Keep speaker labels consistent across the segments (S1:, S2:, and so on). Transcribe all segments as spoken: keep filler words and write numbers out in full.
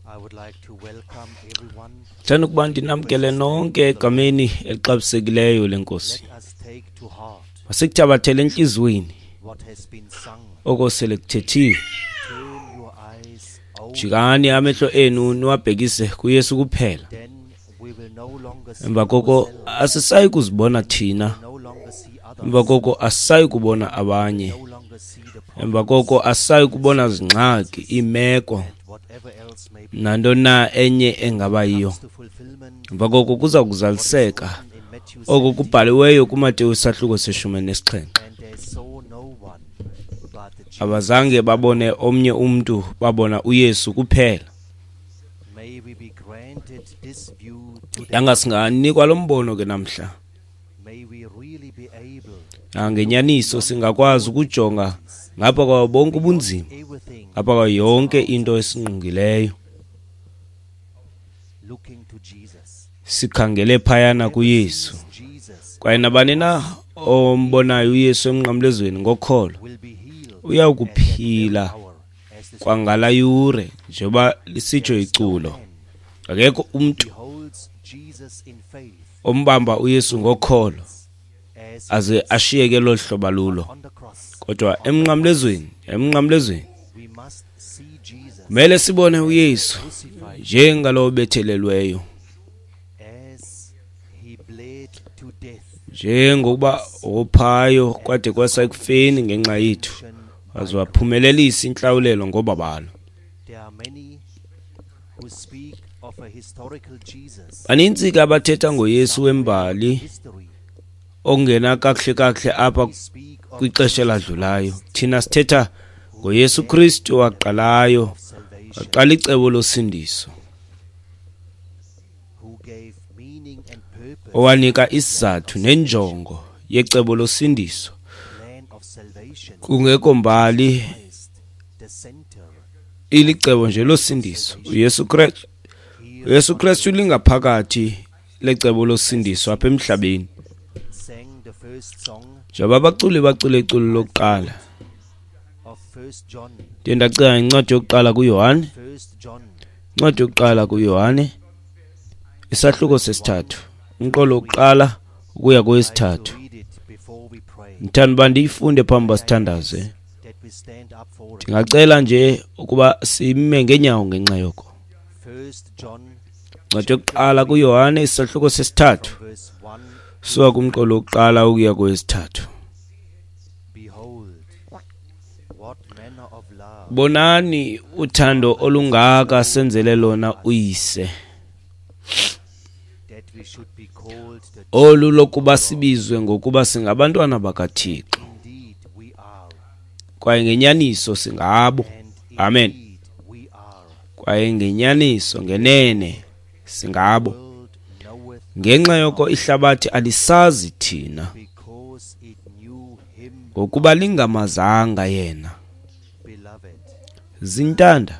S1: I would like to welcome everyone.
S2: Ndithanda ukuba ndinamkele nonke egameni elixabisekileyo lenkosi.
S1: Let us take to heart
S2: Masikuthabathele entliziyweni
S1: what has been sung.
S2: oko sele kuthethiwe.
S1: Turn your eyes only,
S2: Jikani amehlo enu niwabhekise kuYesu kuphela.
S1: then we will no longer see
S2: Emva koko
S1: ourselves,
S2: asisayi kuzibona thina.
S1: no longer see others,
S2: Emva koko asisayi kubona abanye.
S1: no longer see the
S2: Emva
S1: problems,
S2: koko asisayi kubona zingxaki, iimeko
S1: and whatever else may be
S2: nantoni na enye engaba yiyo.
S1: comes to fulfillment.
S2: Emva koko kuza kuzaliseka
S1: Written in Matthew
S2: oko
S1: seventeen,
S2: kubhaliweyo kuMateyu isahluko seshumi nesixhenxe.
S1: and they saw no one but Jesus.
S2: Abazange babone omnye umntu, babona uYesu kuphela.
S1: May we be granted this view today.
S2: Yanga singanikwa lo mbono ke namhla.
S1: May we really be able
S2: Ah, Ngenyaniso singakwazi ukujonga ngapha kwawo bonke ubunzima,
S1: everything
S2: ngapha kwayo yonke into esingqongileyo,
S1: looking to Jesus.
S2: sikhangele phayana kuYesu.
S1: Jesus
S2: Kwaye nabani na ombonayo uYesu emnqamlezweni ngokholo
S1: will be healed
S2: uya
S1: at that
S2: kuphila
S1: very hour, as the
S2: kwangala yure, njengoba lisitsho iculo.
S1: man
S2: Akekho umntu
S1: beholds Jesus in faith
S2: ombamba uYesu ngokholo
S1: as
S2: aze ashiyeke lolu hlobo lulo.
S1: on the cross.
S2: Kodwa emnqamlezweni, emnqamlezweni
S1: We must see Jesus
S2: kumele sibone uYesu
S1: crucified
S2: njengalowo bethelelweyo,
S1: as he bled to death.
S2: njengokuba wophayo kwade kwasa ekufeni ngenxa yethu, waze waphumelelisa intlawulelo ngobabalo.
S1: There are many who speak of a historical Jesus.
S2: Banintsi ke abathetha ngoYesu wembali
S1: History.
S2: ongena kakuhle kakuhle apha
S1: We speak of
S2: kwixesha eladlulayo. Thina sithetha ngoYesu Kristu waqalayo,
S1: of salvation,
S2: waqala icebo losindiso,
S1: who gave meaning and purpose
S2: owanika isizathu nenjongo yecebo losindiso.
S1: plan of salvation.
S2: Kungekho mbali
S1: Christ, the center.
S2: ilicebo nje losindiso. uYesu Kristu
S1: Here
S2: uYesu Kristu lingaphakathi lecebo losindiso apha emhlabeni.
S1: sang the first song
S2: Njengoba abaculi bacule iculo lokuqala,
S1: of First John.
S2: ndiye ndacinga incwadi yokuqala kuYohane,
S1: First John
S2: incwadi yokuqala kuYohane isahluko sesithathu, umqolo wokuqala ukuya
S1: I'd like to
S2: kowesithathu.
S1: read it before we pray.
S2: Ndithanda uba ndiyifunde phambi uba sithandaze.
S1: That we stand up for it.
S2: Ndingacela nje ukuba sime ngeenyawo ngenxa yoko.
S1: First John
S2: Incwadi yokuqala kuYohane isahluko sesithathu,
S1: from verse one.
S2: suka kumqolo wokuqala ukuya kowesithathu.
S1: Behold, what manner of love
S2: Bonani uthando olungaka senzele lona uyise,
S1: that we should be called the
S2: olu lokuba sibizwe ngokuba singabantwana bakaThixo,
S1: indeed we are,
S2: kwaye ngenyaniso singabo.
S1: and
S2: Amen.
S1: indeed we are.
S2: Kwaye ngenyaniso ngenene singabo.
S1: World knoweth
S2: Ngenxa yoko ihlabathi alisazi thina,
S1: because it knew him,
S2: ngokuba lingamazanga yena.
S1: beloved.
S2: Zintanda,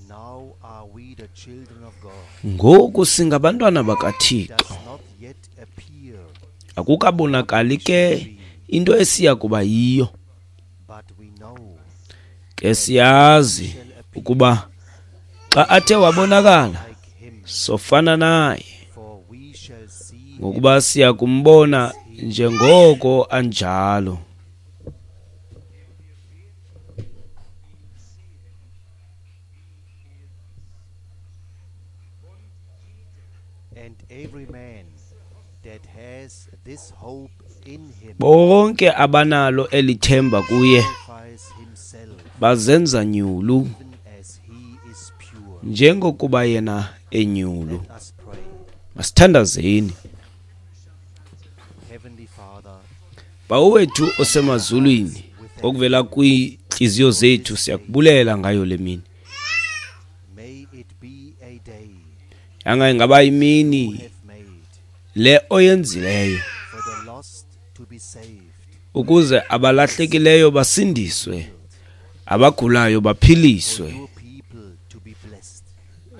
S1: Now are we the children of God.
S2: ngoku singabantwana bakaThixo.
S1: Does not yet appear,
S2: Akukabonakali ke into esiya kuba yiyo,
S1: but we know
S2: ke siyazi ukuba xa athe wabonakala
S1: like him,
S2: sofana naye,
S1: for we shall see him
S2: ngokuba siya kumbona njengoko anjalo.
S1: And every man that has this hope in him
S2: Bonke abanalo elithemba kuye
S1: purifies himself
S2: bazenza nyulu
S1: even as he is pure.
S2: njengokuba yena enyulu.
S1: Let us pray.
S2: Masithandazeni.
S1: Heavenly Father,
S2: Bawo wethu osemazulwini, okuvela kwiintliziyo zethu siyakubulela ngayo le mini.
S1: may it be a day
S2: Yanga ingaba imini
S1: you have made
S2: le oyenzileyo
S1: for the lost to be saved,
S2: ukuze abalahlekileyo basindiswe, abagulayo
S1: for
S2: baphiliswe,
S1: your people to be blessed,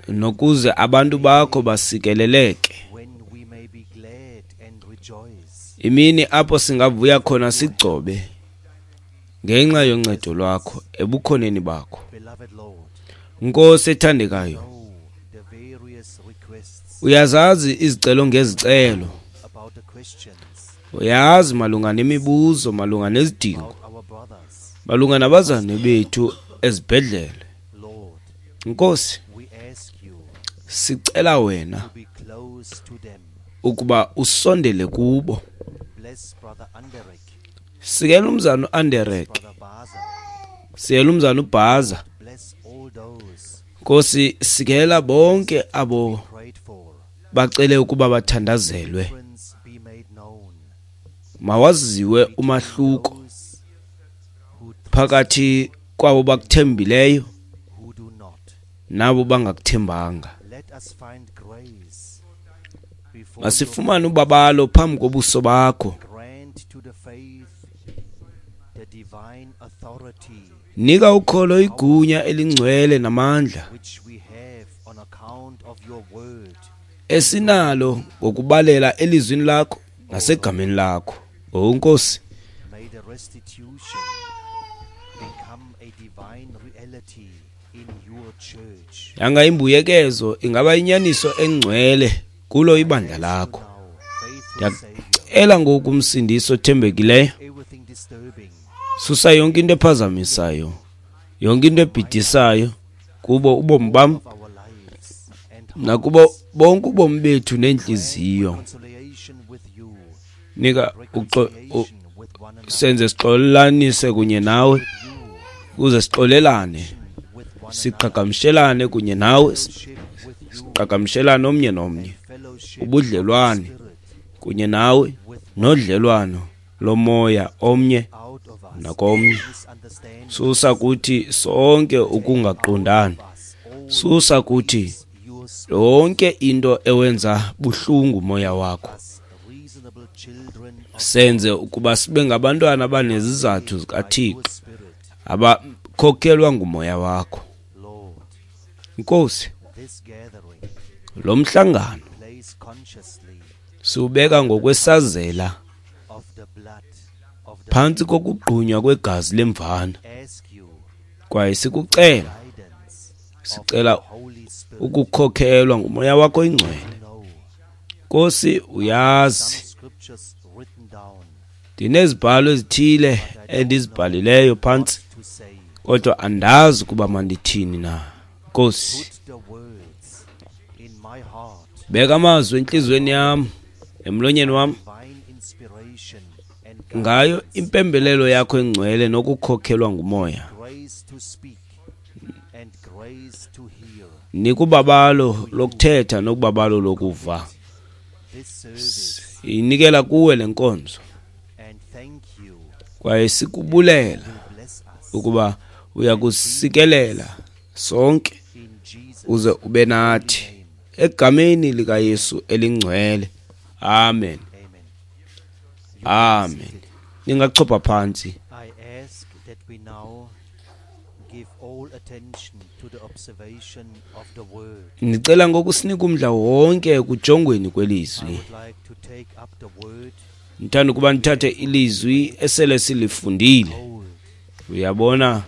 S2: nokuze abantu bakho basikeleleke.
S1: when we may be glad and rejoice
S2: Imini apho singavuya khona sigcobe ngenxa yoncedo lwakho ebukhoneni bakho.
S1: Beloved Lord,
S2: Nkosi ethandekayo,
S1: know
S2: Uyazazi izicelo ngezicelo. Uyazi malunga nemibuzo, malunga nezidingo, malunga nabazalwane bethu ezibhedlele. Nkosi, sicela wena ukuba usondele kubo. Sikela umzana uAnderek, sikela umzana uBhaza. Nkosi, sikela bonke abo bacele ukuba bathandazelwe. Mawaziwe umahluko phakathi kwabo bakuthembileyo nabo bangakuthembanga. Masifumane ubabalo phambi kobuso bakho. Nika ukholo igunya elingcwele namandla esinalo ngokubalela elizwini lakho nasegameni lakho. O Nkosi, yanga imbuyekezo ingaba inyaniso engcwele kulo ibandla lakho. Ndiyacela ngoku umsindisi othembekileyo, susa yonke into ephazamisayo, yonke into ebhidisayo kubo ubomi bam nakubo bonke ubomi bethu nentliziyo. Nika senze sixolelanise kunye nawe, ukuze sixolelane, siqhagamshelane kunye nawe, siqhagamshelane omnye nomnye, ubudlelwane kunye nawe nodlelwano lomoya omnye nakomnye. Susa kuthi sonke ukungaqondani, susa kuthi yonke into ewenza buhlungu moya wakho. Senze ukuba sibe ngabantwana abanezizathu zikaThixo abakhokhelwa ngumoya wakho. Nkosi, lo mhlangano siwubeka ngokwesazela phantsi kokugqunywa kwegazi lemvana, kwaye sikucela, sicela ukukhokhelwa ngumoya wakho ingcwele. Nkosi, uyazi ndinezibhalo ezithile endizibhalileyo phantsi, kodwa andazi ukuba mandithini na. Nkosi, beka amazwi entliziyweni yam, emlonyeni wam, ngayo impembelelo yakho engcwele nokukhokhelwa ngumoya. Nikubabalo lokuthetha nokubabalo lokuva. Inikela kuwe le nkonzo, kwaye sikubulela ukuba uyakusikelela sonke uze ube nathi, egameni likaYesu elingcwele. Amen. Amen. Ningachopha phansi. Ndicela ngoku sinike umdla wonke ekujongweni kwelizwi. Ndithanda ukuba ndithathe ilizwi esele silifundile. Uyabona,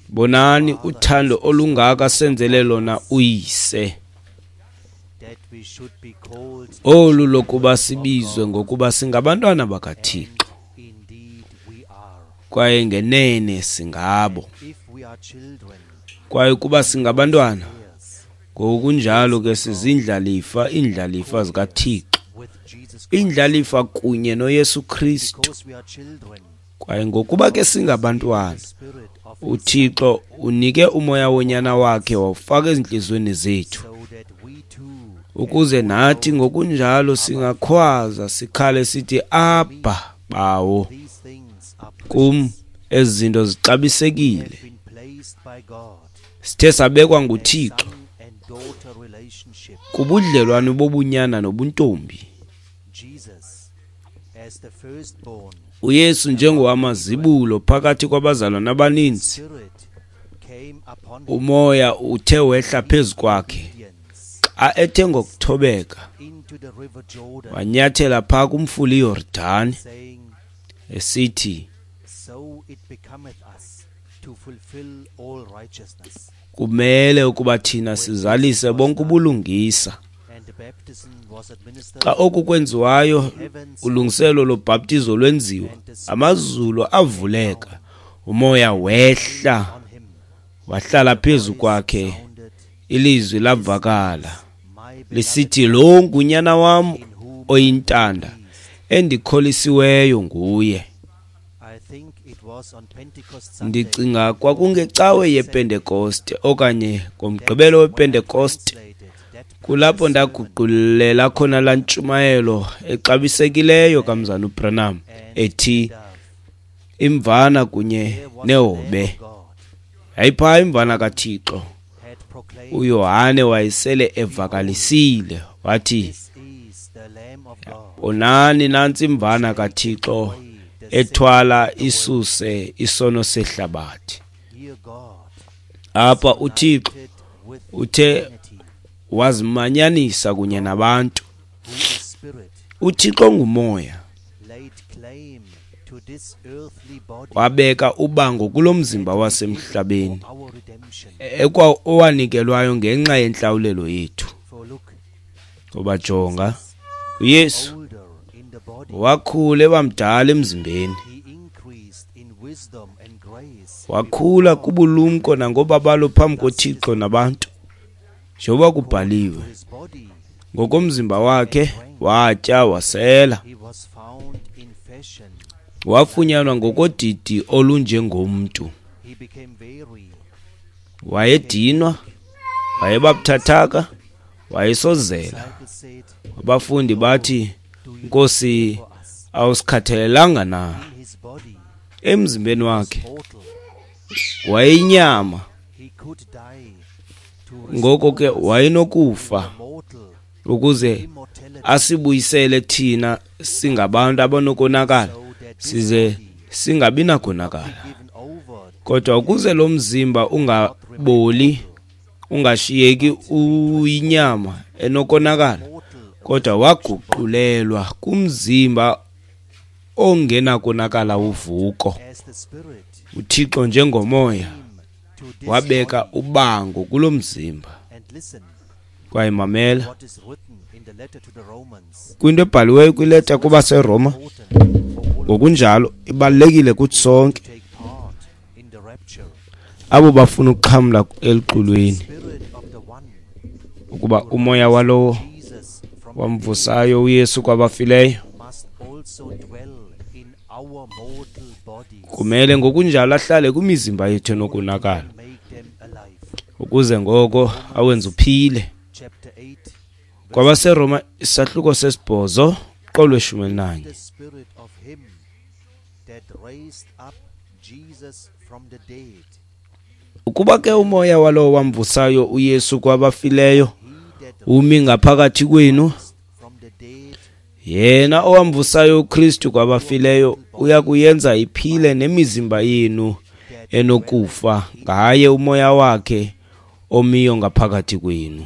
S2: bonani uthando olungaka senzele lona uyise, olu lokuba sibizwe ngokuba singabantwana bakaThixo, kwaye ngenene singabo. Kwaye kuba singabantwana, ngokunjalo ke sizindlalifa, iindlalifa zikaThixo, indlalifa kunye noYesu Kristu. Kwaye ngokuba ke singabantwana, uThixo unike umoya wonyana wakhe wawufaka ezintliziyweni zethu, ukuze nathi ngokunjalo singakhwaza sikhale sithi, Abba, Bawo. Kum ezi zinto zixabisekile. Sithe sabekwa nguThixo kubudlelwane bobunyana nobuntombi. uYesu njengowamazibulo phakathi kwabazalwana abaninzi, umoya uthe wehla phezu kwakhe xa ethe ngokuthobeka wanyathela phaa kumfula iYordani, esithi, Kumele ukuba thina sizalise bonke ubulungisa. Xa oku kwenziwayo, ulungiselelo lobhaptizo lwenziwa, amazulu avuleka, umoya wehla wahlala phezu kwakhe, ilizwi lavakala lisithi, lo ngunyana wam oyintanda endikholisiweyo nguye. Ndicinga kwakungecawe yePentekoste okanye ngomgqibelo wePentekoste, kulapho ndaguqulela khona laa ntshumayelo exabisekileyo kaMzana uBranham ethi imvana kunye nehobe. Yayiphaa imvana kaThixo. uYohane wayesele evakalisile wathi, bonani nantsi imvana kaThixo ethwala isuse isono sehlabathi. Apha uThixo uthe wazimanyanisa kunye nabantu. UThixo ngumoya, wabeka ubango kulo mzimba wasemhlabeni owanikelwayo ngenxa yentlawulelo yethu. Ngoba jonga, uYesu wakhula ebamdala emzimbeni, wakhula kubulumko nangobabalo phambi koThixo nabantu, njengoba kubhaliwe. Ngokomzimba wakhe watya wasela, wafunyanwa ngokodidi olunjengomntu. Wayedinwa, wayebabuthathaka, wayesozela. Abafundi bathi, Nkosi, awusikhathalelanga na? Emzimbeni wakhe wayeyinyama, ngoko ke wayenokufa ukuze asibuyisele thina singabantu abanokonakala, size singabi nakonakala. Kodwa ukuze lo mzimba ungaboli, ungashiyeki uyinyama enokonakala, kodwa waguqulelwa kumzimba ongenakonakala uvuko. uThixo njengomoya wabeka ubango kulo mzimba. Kwaye mamela kwinto ebhaliweyo kwileta kubaseRoma, ngokunjalo ibalulekile kuthi sonke abo bafuna ukuxhamla eluxolweni, ukuba umoya walowo wamvusayo uYesu kwabafileyo kumele ngokunjalo ahlale kwimizimba yethu enokonakala, ukuze ngoko awenze uphile. KwabaseRoma isahluko sesibhozo qolo lweshumi elinanye. Ukuba ke umoya walowo wamvusayo uYesu kwabafileyo umi ngaphakathi kwenu, yena owamvusayo uKristu kwabafileyo uya kuyenza iphile nemizimba yenu enokufa ngaye umoya wakhe omiyo ngaphakathi kwenu.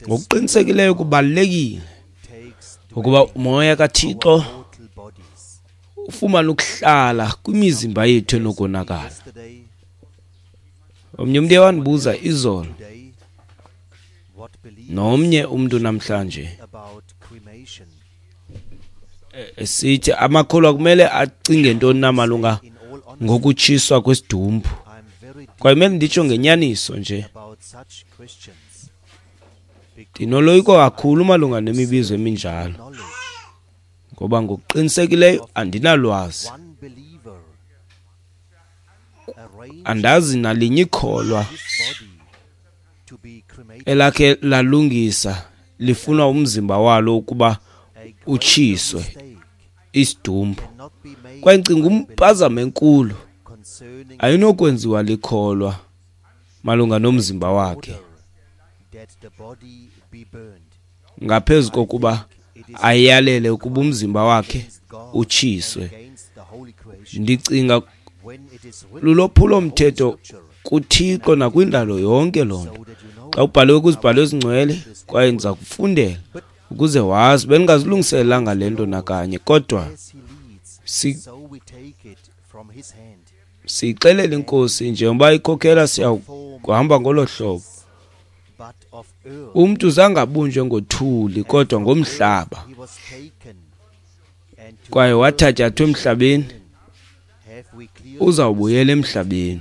S2: Ngokuqinisekileyo kubalulekile ukuba umoya kaThixo ufumane ukuhlala kwimizimba yethu enokonakala. Omnye umntu wandibuza izolo, nomnye umntu namhlanje, esithi amakholwa kumele acinge ntoni na malunga ngokutshiswa kwesidumbu. Kwaye kumele nditsho ngenyaniso nje, ndinoloyiko kakhulu malunga nemibizo eminjalo, ngoba ngokuqinisekileyo andinalwazi, andazi nalinye ikholwa elakhe lalungisa lifunwa umzimba walo ukuba utshiswe isidumbu. Kwaye ndicinga umpazamo enkulu ayinokwenziwa likholwa malunga nomzimba wakhe ngaphezu kokuba ayalele ukuba umzimba wakhe utshiswe. Ndicinga lulophulo-mthetho kuThixo nakwindalo yonke loo nto. Xa ubhaliwe kwizibhalo ezingcwele, kwaye ndiza kufundela Ukuze wazi, bendingazilungiselelanga le nto nakanye, kodwa siyixelele iNkosi njengoba ikhokhela, siyakuhamba ngolo hlobo. Umntu zange abunjwe ngothuli kodwa ngomhlaba, kwaye wathatyathwa emhlabeni, uzawubuyela emhlabeni.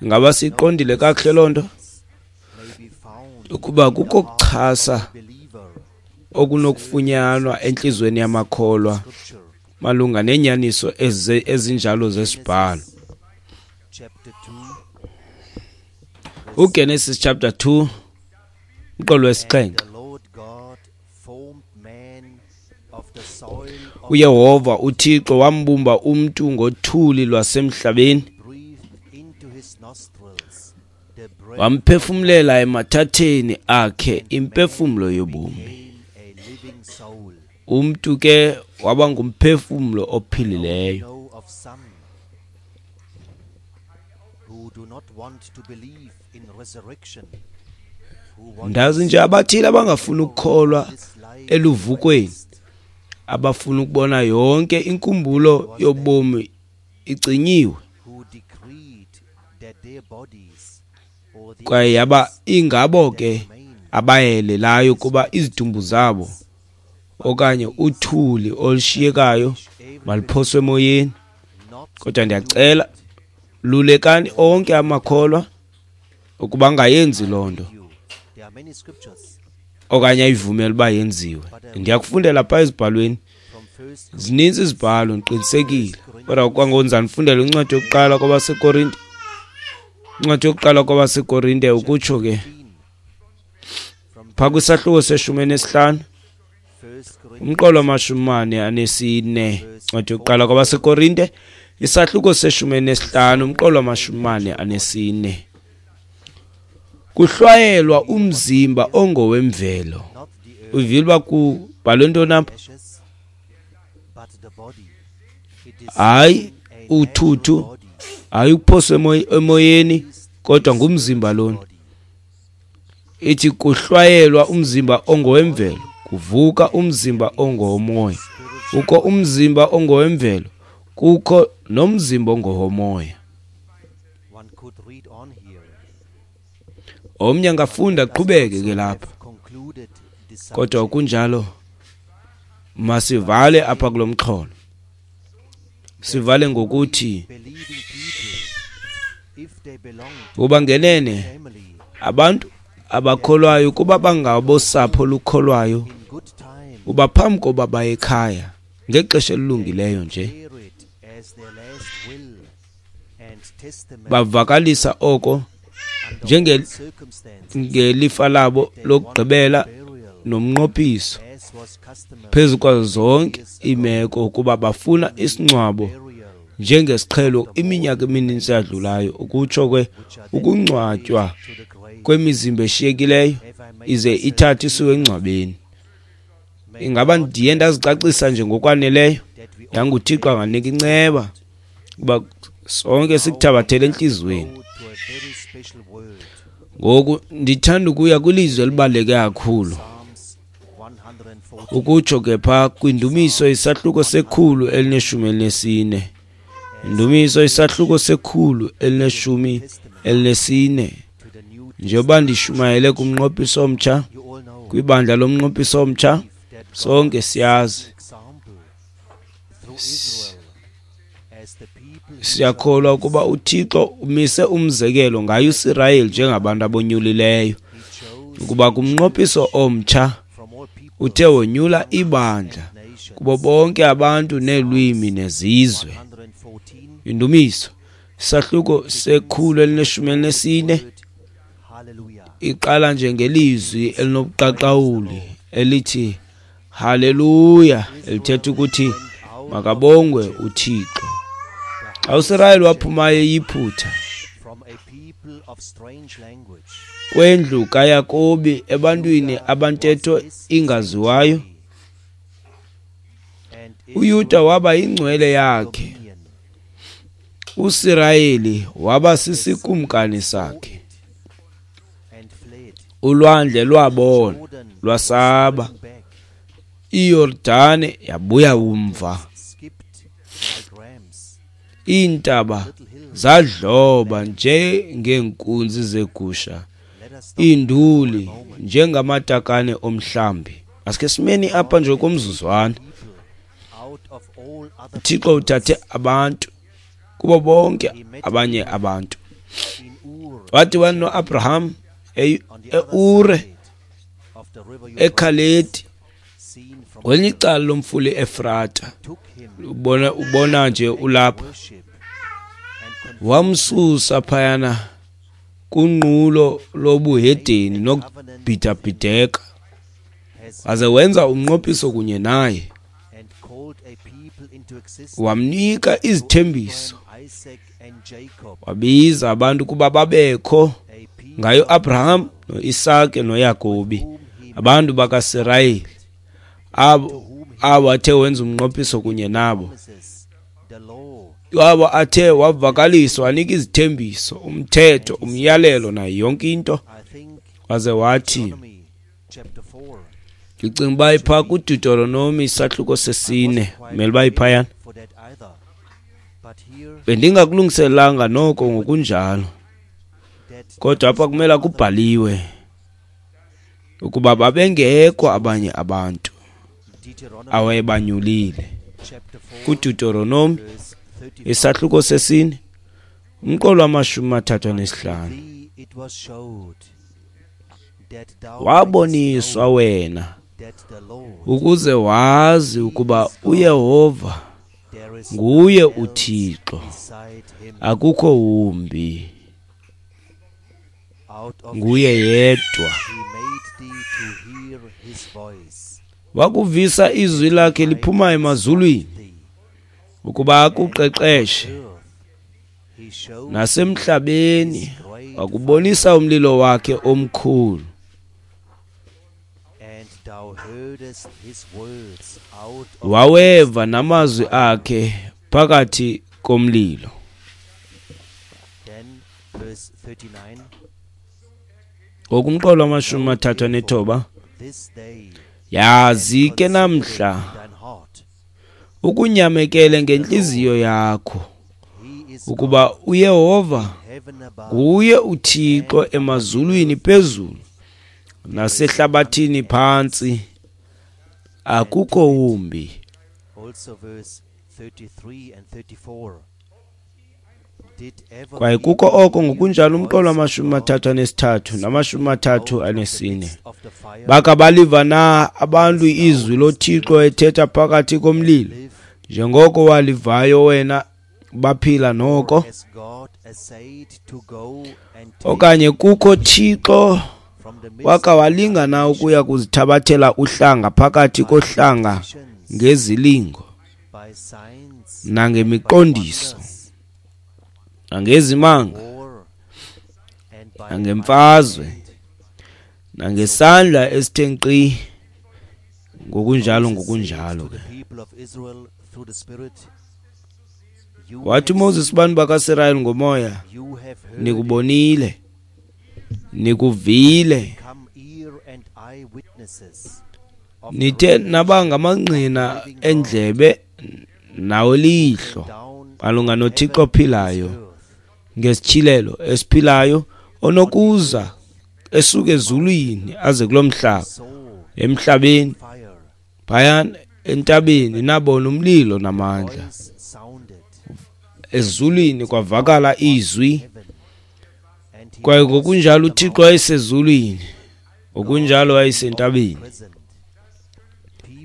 S2: Ingaba siyiqondile kakuhle loo nto? Ukuba kukho ukuchasa okunokufunyanwa entliziyweni yamakholwa malunga neenyaniso ezinjalo zesibhalo. UGenesis chapter two, umqolo wesixhenxe. UYehova uThixo wambumba umntu ngothuli lwasemhlabeni, wamphefumlela emathatheni akhe impefumlo yobomi. Umntu ke waba ngumphefumlo ophilileyo. Ndazi nje abathile abangafuni ukukholwa eluvukweni, abafuna ukubona yonke inkumbulo yobomi icinyiwe, kwaye yaba ingabo ke abayelelayo ukuba izidumbu zabo okanye uthuli olushiyekayo maluphoswe emoyeni. Kodwa ndiyacela, lulekani onke amakholwa ukuba angayenzi loo nto okanye ayivumele uba yenziwe. Ndiyakufundela phaa ezibhalweni, zininzi izibhalo, ndiqinisekile. Kodwa kwangoku ndizanifundela incwadi yokuqala kwabaseKorinte, incwadi yokuqala kwabaseKorinte, ukutsho ke phaa kwisahluko seshumi enesihlanu, umqolo wamashumi mane anesine. Incwadi yokuqala kwabaseKorinte, isahluko seshumi enesihlanu, umqolo wamashumi mane anesine. Kuhlwayelwa umzimba ongowemvelo. Uvile uba kubhalwe ntoni apha? Hayi uthuthu, hayi ukuphoswa emoyeni, kodwa ngumzimba lona. Ithi kuhlwayelwa umzimba ongowemvelo, kuvuka umzimba ongowomoya. Kukho umzimba ongowemvelo, kukho nomzimba ongowomoya. Omnye angafunda aqhubeke ke lapha, kodwa kunjalo masivale apha kulo mxholo. Sivale ngokuthi kuba ngenene abantu abakholwayo kuba bangabosapho olukholwayo, uba phambi koba baye ekhaya ngexesha elilungileyo nje bavakalisa oko njengelifa labo lokugqibela nomnqophiso phezu kwazo zonke iimeko, ukuba bafuna isingcwabo njengesiqhelo iminyaka emininzi yadlulayo, ukutsho ke ukungcwatywa kwemizimba eshiyekileyo ize ithathe isiwe engcwabeni. Ingaba ndiye ndazicacisa nje ngokwaneleyo? YanguThixo anganika inceba ukuba sonke sikuthabathele entliziyweni. Ngoku ndithanda ukuya kwilizwi elibaluleke kakhulu, ukutsho ke phaa kwindumiso isahluko sekhulu elineshumi elinesine. Indumiso isahluko sekhulu elineshumi elinesine. Njengoba ndishumayele kumnqophiso omtsha, kwibandla lomnqophiso omtsha, sonke siyazi, siyakholwa ukuba uThixo umise umzekelo ngaye uSirayeli njengabantu abonyulileyo, ukuba kumnqophiso omtsha uthe wonyula ibandla kubo bonke abantu neelwimi nezizwe. Indumiso isahluko sekhulu elineshumi elinesine iqala nje ngelizwi elinobuqaqawuli elithi haleluya, elithetha ukuthi makabongwe uThixo. Xa uSirayeli waphumayo eYiphutha kwendlu kaYakobi ebantwini abantetho ingaziwayo, uYuda waba yingcwele yakhe, uSirayeli waba sisikumkani sakhe. Ulwandle lwabona, lwasaba, iYordane yabuya umva, iintaba zadloba njengeenkunzi zegusha, iinduli njengamatakane omhlambi. Asike simeni apha nje komzuzwana. uThixo uthathe abantu kubo bonke abanye abantu. Wathi wano-Abraham e-Ure, eKhaledi, kwelinye icala lomfula i-Efrata. Ubona ubona nje ulapha. Wamsusa phayana kunqulo lobuhedeni nokubhidabhideka, waze wenza umnqophiso kunye naye, wamnika izithembiso, wabiza abantu kuba babekho ngayo Abraham noIsake noYakobi, abantu bakaSirayeli, abo abo athe wenza umnqophiso kunye nabo, abo athe wavakaliswa, wanika izithembiso, umthetho, umyalelo nayo yonke into. Waze wathi, ndicinga uba iphaa kuDeuteronomi isahluko sesine, kumele uba iphayana. Bendingakulungiselanga noko ngokunjalo, kodwa apha kumele kubhaliwe ukuba babengekho abanye abantu awayebanyulile. KuDeuteronomi isahluko sesine, umqolo wamashumi amathathu anesihlanu. Waboniswa wena ukuze wazi ukuba uYehova nguye uThixo, akukho wumbi, nguye yedwa. Wakuvisa izwi lakhe liphuma emazulwini ukuba akuqeqeshe, nasemhlabeni wakubonisa umlilo wakhe omkhulu. Waweva namazwi akhe phakathi komlilo. Ngokumqolo wamashumi amathathu anethoba, yazi ke namhla ukunyamekele ngentliziyo yakho ukuba uYehova nguye uThixo emazulwini phezulu nasehlabathini phantsi, akukho wumbi. Kwaye kukho oko ngokunjalo umqolo wamashumi amathathu anesithathu namashumi amathathu anesine. Baka baliva na abantu izwi loThixo ethetha phakathi komlilo, njengoko walivayo wena, baphila noko? Okanye kukho Thixo waka walinga na ukuya kuzithabathela uhlanga phakathi kohlanga ngezilingo nangemiqondiso nangezimanga nangemfazwe nangesandla esithe nkqi, ngokunjalo ngokunjalo ke. Wathi uMoses kubantu bakaSirayeli ngomoya, nikubonile, nikuvile, nithe naba ngamangqina endlebe nawelihlo malunga noThixo ophilayo ngesityhilelo esiphilayo onokuza esuke ezulwini aze kulo mhlaba. Emhlabeni phayana entabeni nabona umlilo namandla, ezulwini kwavakala izwi, kwaye ngokunjalo uThixo wayesezulwini, ngokunjalo wayesentabeni.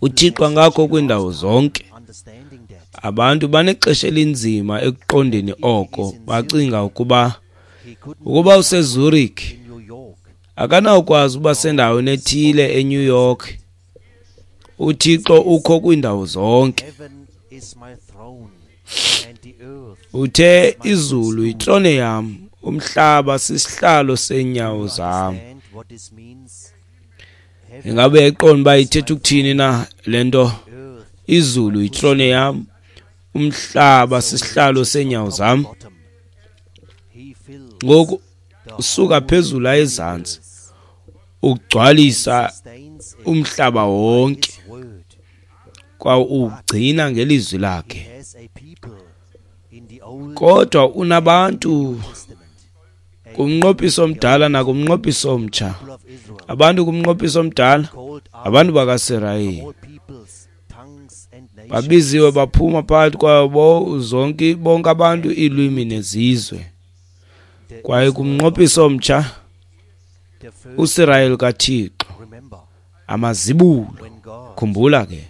S2: uThixo angakho kwiindawo zonke. Abantu banexesha elinzima ekuqondeni oko, bacinga ukuba ukuba useZurich akanawukwazi uba sendaweni ethile eNew York. uThixo ukho kwiindawo zonke. Uthe izulu yitrone yam, umhlaba sisihlalo seenyawo zam. Ingabe uyayiqonda uba ithetha ukuthini na le nto? Izulu yitrone yam, umhlaba sisihlalo seenyawo zam. Ngoku usuka phezulu aye ezantsi, ugcwalisa umhlaba wonke. Kwaye uwugcina ngelizwi lakhe. Kodwa unabantu kumnqophiso omdala nakumnqophiso omtsha. Abantu kumnqophiso omdala, abantu bakaSirayeli, babiziwe baphuma phakathi kwabo zonke bonke abantu, iilwimi nezizwe. Kwaye kumnqophiso omtsha, uSirayeli kaThixo, amazibulo. Khumbula ke,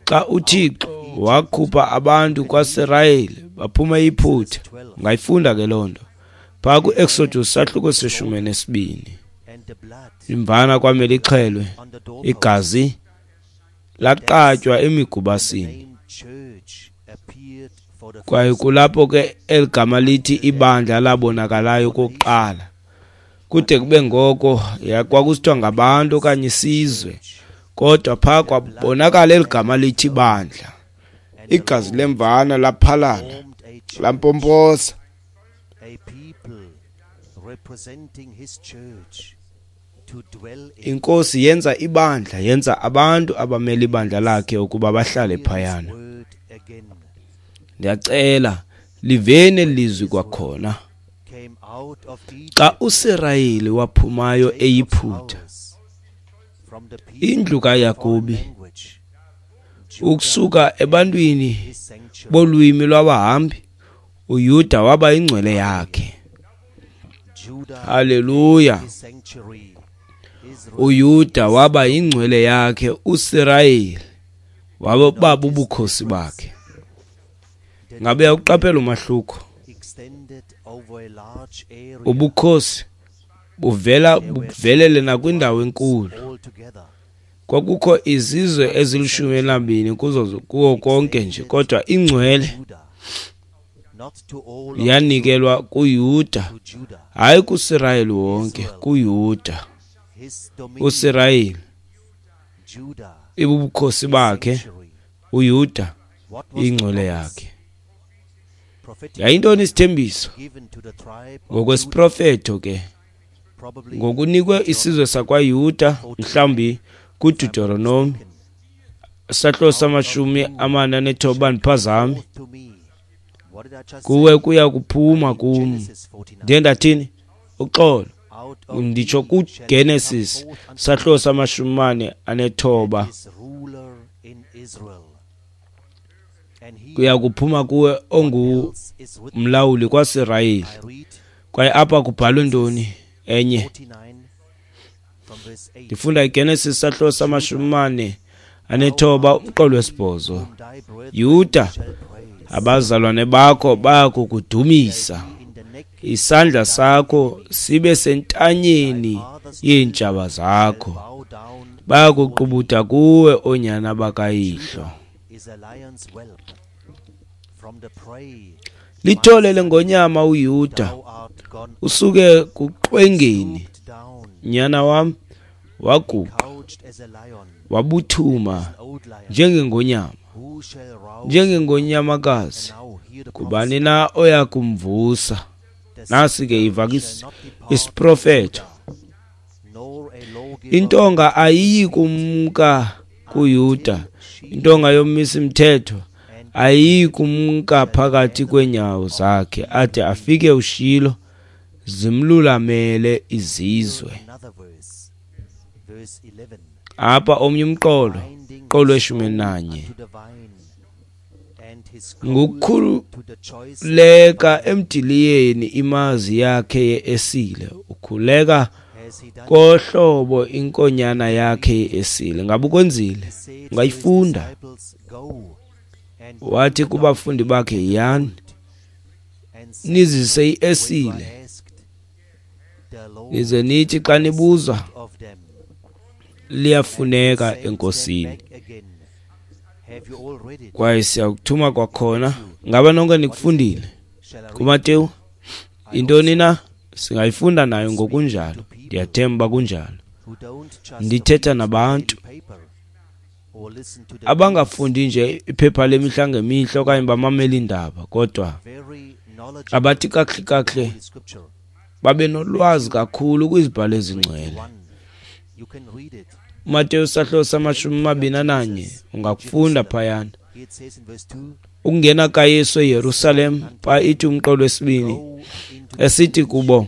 S2: xa uThixo wakhupha abantu kwaSirayeli baphuma eYiputa, ungayifunda ke loo nto phaa ku-Exodus sahluko seshumi nesibini. Imvana kwamele ixhelwe, igazi laqatywa emigubasini. Kwaye kulapho ke eli gama lithi ibandla labonakalayo okokuqala. Kude kube ngoko kwakusithiwa ngabantu okanye isizwe, kodwa phaa kwabonakala eli gama lithi ibandla. Igazi lemvana laphalala, lampompoza. Inkosi yenza ibandla, yenza abantu abamele ibandla lakhe ukuba bahlale phayana. Ndiyacela liveni eli lizwi kwakhona. Xa uSirayeli waphumayo eYiputa, indlu kaYakobi, ukusuka ebantwini bolwimi lwabahambi, uYuda waba yingcwele yakhe. Haleluya! uYuda waba yingcwele yakhe, uSirayeli waba bubukhosi bakhe. Ngabe uyawuqaphela umahluko? Ubukhosi buvela buvelele nakwindawo enkulu. Kwakukho izizwe ezilishumi elinambini kuzo kuwo konke nje, kodwa ingcwele yanikelwa kuYuda, hayi kuSirayeli wonke, kuYuda. uSirayeli ibubukhosi bakhe, uYuda ingcwele yakhe. Yayintoni isithembiso? Ngokwesiprofeto ke, ngokunikwe isizwe sakwaYuda, mhlawumbi kuDeuteronomi sahlo samashumi amane anethoba andiphazami, kuwe kuya kuphuma kum. Ndiye ndathini? Uxolo, nditsho kuGenesis sahlo samashumi mane anethoba, kuya kuphuma kuwe ongumlawuli kwaSirayeli. Kwaye apha kubhalwe ntoni enye? Ndifunda iGenesis sahlo samashumi mane anethoba umqolo wesibhozo. Yuda, abazalwane bakho bayakukudumisa, isandla sakho sibe sentanyeni yeentshaba zakho, bayakuqubuda kuwe oonyana bakayihlo. Lithole lengonyama uYuda, usuke kuqwengeni, nyana wam, waguqa wabuthuma njengengonyama, njengengonyamakazi. Kubani na oya kumvusa? Nasi ke iva isiprofeto. Intonga ayiyi kumka kuYuda, intonga yomisi mthetho ayiyi kumka phakathi kweenyawo zakhe, ade afike uShilo, zimlulamele izizwe. Apha omnye umqolo, qolo weshumi nanye. Ngokukhuleka emdiliyeni imazi yakhe ye-esile, ukhuleka kohlobo inkonyana yakhe ye-esile. Ngabe ukwenzile? Ungayifunda. Wathi kubafundi bakhe, yiyani nizise i-esile, nize nithi xa nibuzwa, liyafuneka enkosini. Kwaye siyakuthuma kwakhona. Ngaba nonke nikufundile kuMateyu? Intoni na? Singayifunda nayo ngokunjalo. Ndiyathemba kunjalo. Ndithetha nabantu abangafundi nje iphepha lemihla ngemihla okanye bamamele iindaba, kodwa abathi kakuhle kakuhle babe nolwazi kakhulu kwizibhalo ezingcwele. uMateyu sahluko samashumi mabini ananye, ungakufunda phayana. Ukungena kaYesu eYerusalem, pha ithi umqolo wesibini, esithi kubo,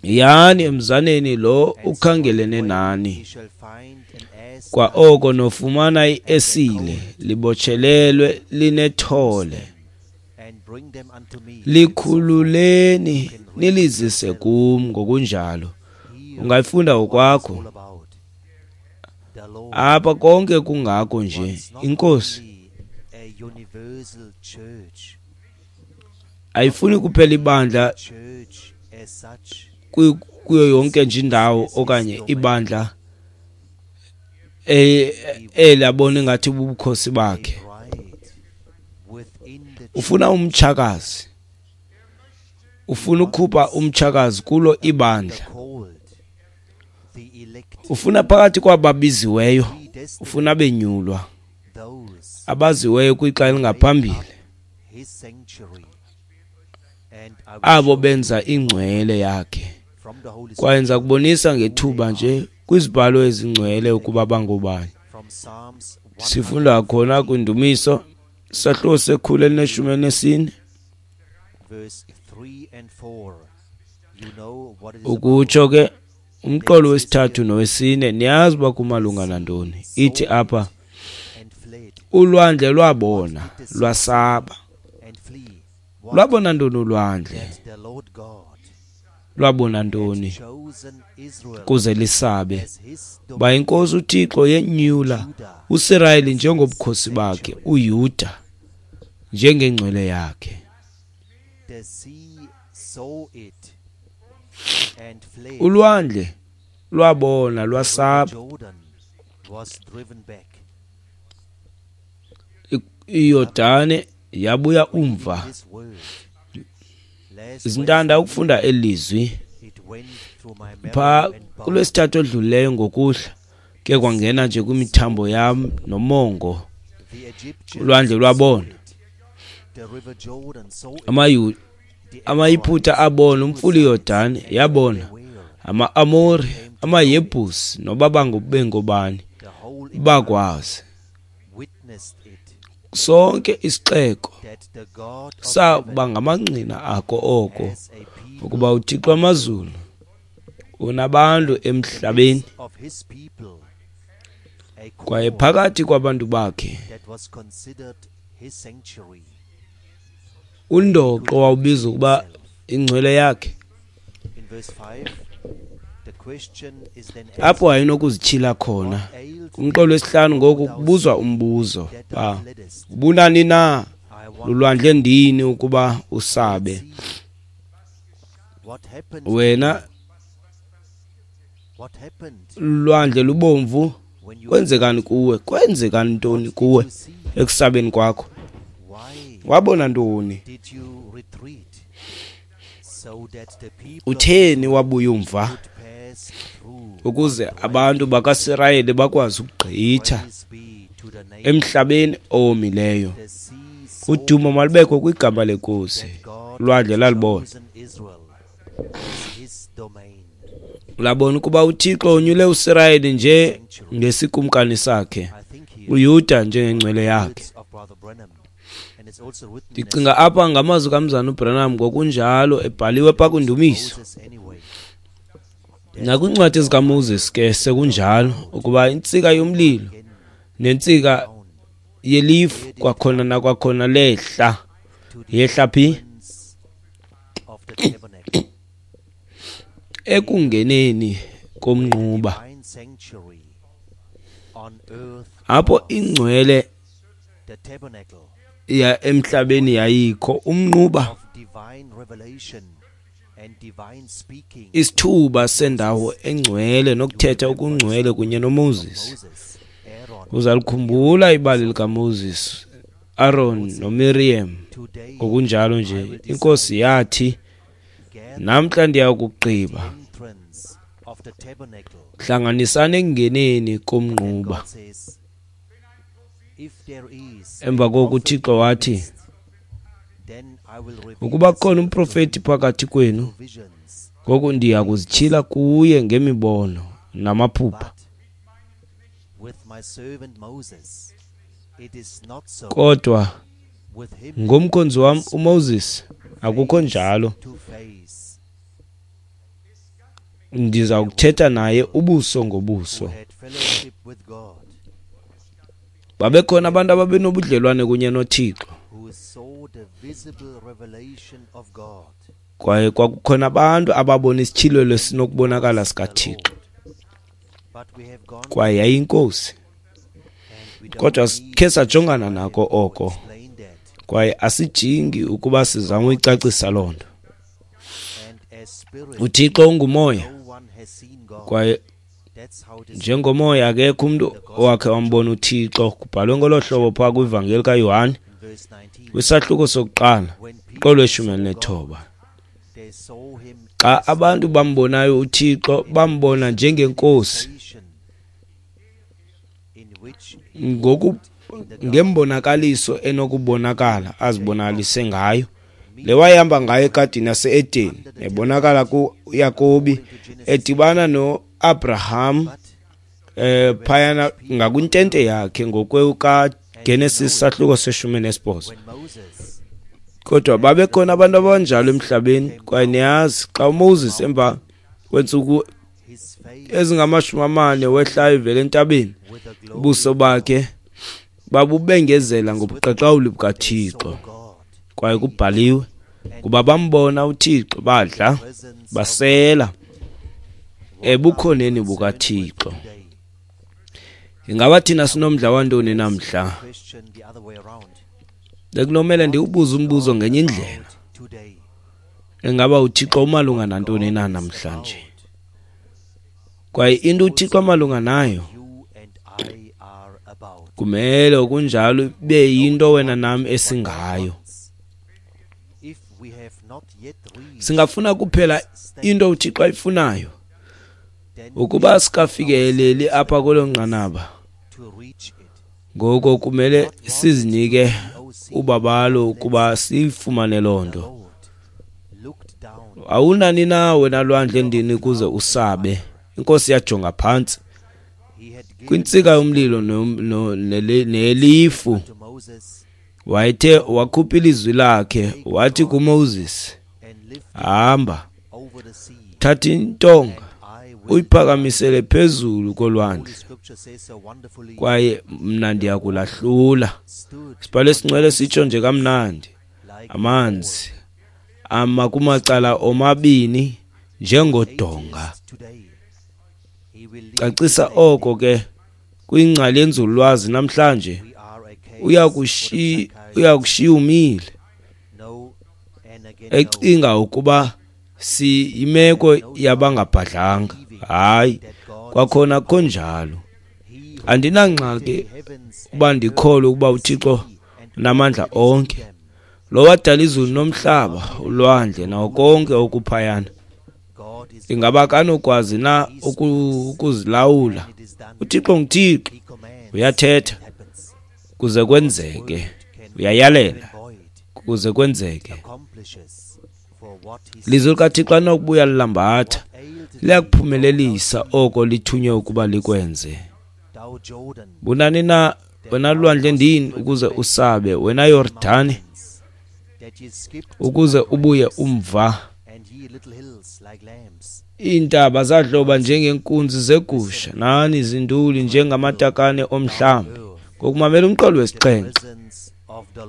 S2: yani emzaneni lo ukhangelene nani, kwa oko nofumana iesile libotshelelwe linethole, likhululeni nilizise kum. Ngokunjalo ungayifunda ngokwakho apha konke kungako nje. Inkosi ayifuni kuphela ibandla kuyo yonke nje indawo, okanye ibandla elabona ngathi bubukhosi bakhe. Ufuna umtshakazi, ufuna ukukhupha umtshakazi kulo ibandla, ufuna phakathi kwababiziweyo, ufuna benyulwa abaziweyo kwixa elingaphambili, abo benza ingcwele yakhe. Kwaye ndiza kubonisa ngethuba nje kwizibhalo ezingcwele ukuba bangobani. Sifunda khona kwindumiso sahluko sekhulu elineshumi elinesine, ukutsho ke umqolo wesithathu nowesine. Niyazi uba kumalunga nantoni. Ithi apha, ulwandle lwabona lwasaba. Lwabona ntoni ulwandle? Lwabona ntoni kuze lisabe? Ba inkosi uThixo yenyula uSirayeli njengobukhosi bakhe, uYuda njengengcwele yakhe. Ulwandle lwabona lwasaba. IYordane yabuya umva. Zintanda ukufunda elizwi pha kulwesithathu odlulileyo ngokuhla, ke kwangena nje kwimithambo yam nomongo. Ulwandle lwabona, amaYiphutha abona, umfula iYordane yabona, ama-Amori, amaYebhusi noba bengobani bakwazi. Sonke isixeko saba ngamangqina ako oko, ukuba uThixo wamazulu unabantu emhlabeni, kwaye phakathi kwabantu bakhe undoqo wawubiza ukuba ingcwele yakhe. Apho ayinokuzityhila khona. Kumqolo wesihlanu ngoku kubuzwa umbuzo ba ubunani na lulwandle ndini ukuba usabe wena lwandle lubomvu? Kwenzekani kuwe? Kwenzekani ntoni kuwe ekusabeni kwakho? Wabona ntoni? Utheni wabuya umva ukuze abantu bakaSirayeli bakwazi ukugqitha emhlabeni owomileyo? Udumo malubekho kwigama leNkosi. Ulwandle lalibona, labona ukuba uThixo unyule uSirayeli nje ngesikumkani sakhe, uYuda njengengcwele yakhe. Ndicinga apha ngamazwi kaMzana uBranham ngokunjalo ebhaliwe pha kwindumiso nakwincwadi zikaMoses ke sekunjalo, ukuba intsika yomlilo nentsika yelifu kwakhona nakwakhona lehla. Yehla phi? Ekungeneni komnquba, apho ingcwele ya emhlabeni yayikho. Umnquba, isithuba sendawo engcwele nokuthetha okungcwele kunye noMoses. Uzalikhumbula ibali likaMoses, Aaron noMiriam. Ngokunjalo nje inkosi yathi, namhla ndiyakugqiba, hlanganisani ekungeneni komnquba. Emva koko uThixo wathi, ukuba kukhona umprofeti phakathi kwenu, ngoku ndiya kuzityhila kuye ngemibono namaphupha. Kodwa ngomkhonzi wam uMoses akukho njalo, ndiza kuthetha naye ubuso ngobuso. Babekhona abantu ababenobudlelwane kunye noThixo, kwaye kwakukhona abantu ababona isityhilelo esinokubonakala sikaThixo, kwaye yayiyinkosi. Kodwa khe sajongana nako oko, kwaye asijingi ukuba sizame uyicacisa loo nto. UThixo ungumoya, kwaye njengomoya akekho umntu owakhe wambona uThixo. Kubhalwe ngolo hlobo phaa kwivangeli kaYohane kwisahluko sokuqala qolweshumi elinethoba. Xa abantu bambonayo uThixo, bambona njengenkosi ngoku ngembonakaliso enokubonakala azibonakalise ngayo. Le wayehamba ngayo egadini yase-Edeni, ebonakala kuYakobi edibana no-Abraham eh phayana ngakwintente yakhe ngokwekaGenesis sahluko seshumi nesibhozo. Kodwa babekhona abantu abanjalo emhlabeni, kwaye niyazi xa uMoses emva kweentsuku ezingamashumi amane wehlayo evela entabeni, ubuso bakhe babubengezela ngobuqaqawuli bukaThixo. Kwaye kubhaliwe kuba bambona uThixo, badla basela ebukhoneni bukaThixo. Ingaba thina sinomdla wantoni namhla? Bekunomele ndiwubuze umbuzo ngenye indlela. Ingaba uThixo umalunga nantoni na namhlanje? Kwaye into uThixo amalunga nayo kumele okunjalo ibe yinto wena nam esingayo. Singafuna kuphela into uThixo ayifunayo. Ukuba sikafikeleli apha kwelo nqanaba, ngoko kumele sizinike ubabalo ukuba siyifumane loo nto. Awunani na wena lwandle ndini ukuze usabe? Inkosi yajonga phantsi kwintsika yomlilo nelifu. Wayethe wakhupha ilizwi lakhe wathi kuMoses, hamba, thatha intonga uyiphakamisele phezulu kolwandle, kwaye mna ndiyakulahlula. Sibhale singcwele sitsho nje kamnandi, amanzi ama kumacala omabini njengodonga. Cacisa oko ke kwingcali yenzululwazi namhlanje, uyakushiya uyakushiya umile ecinga ukuba siyimeko yabangabhadlanga. Hayi, kwakhona konjalo. Andinangxaki uba ndikholwe ukuba uThixo unamandla onke, lo wadala izulu nomhlaba, ulwandle nawo konke okuphayana. Ingaba akanokwazi na ukuzilawula? UThixo nguThixo, uyathetha kuze kwenzeke, uyayalela kuze kwenzeke. Lizwi likaThixo alinokubuya lilambatha, liyakuphumelelisa oko lithunywe ukuba likwenze. Bunani na wena lwandle ndini ukuze usabe, wena Yordani ukuze ubuye umva? Iintaba zadloba njengenkunzi zegusha, nani zinduli njengamatakane omhlambi. Ngokumamela umqolo wesixhenxe,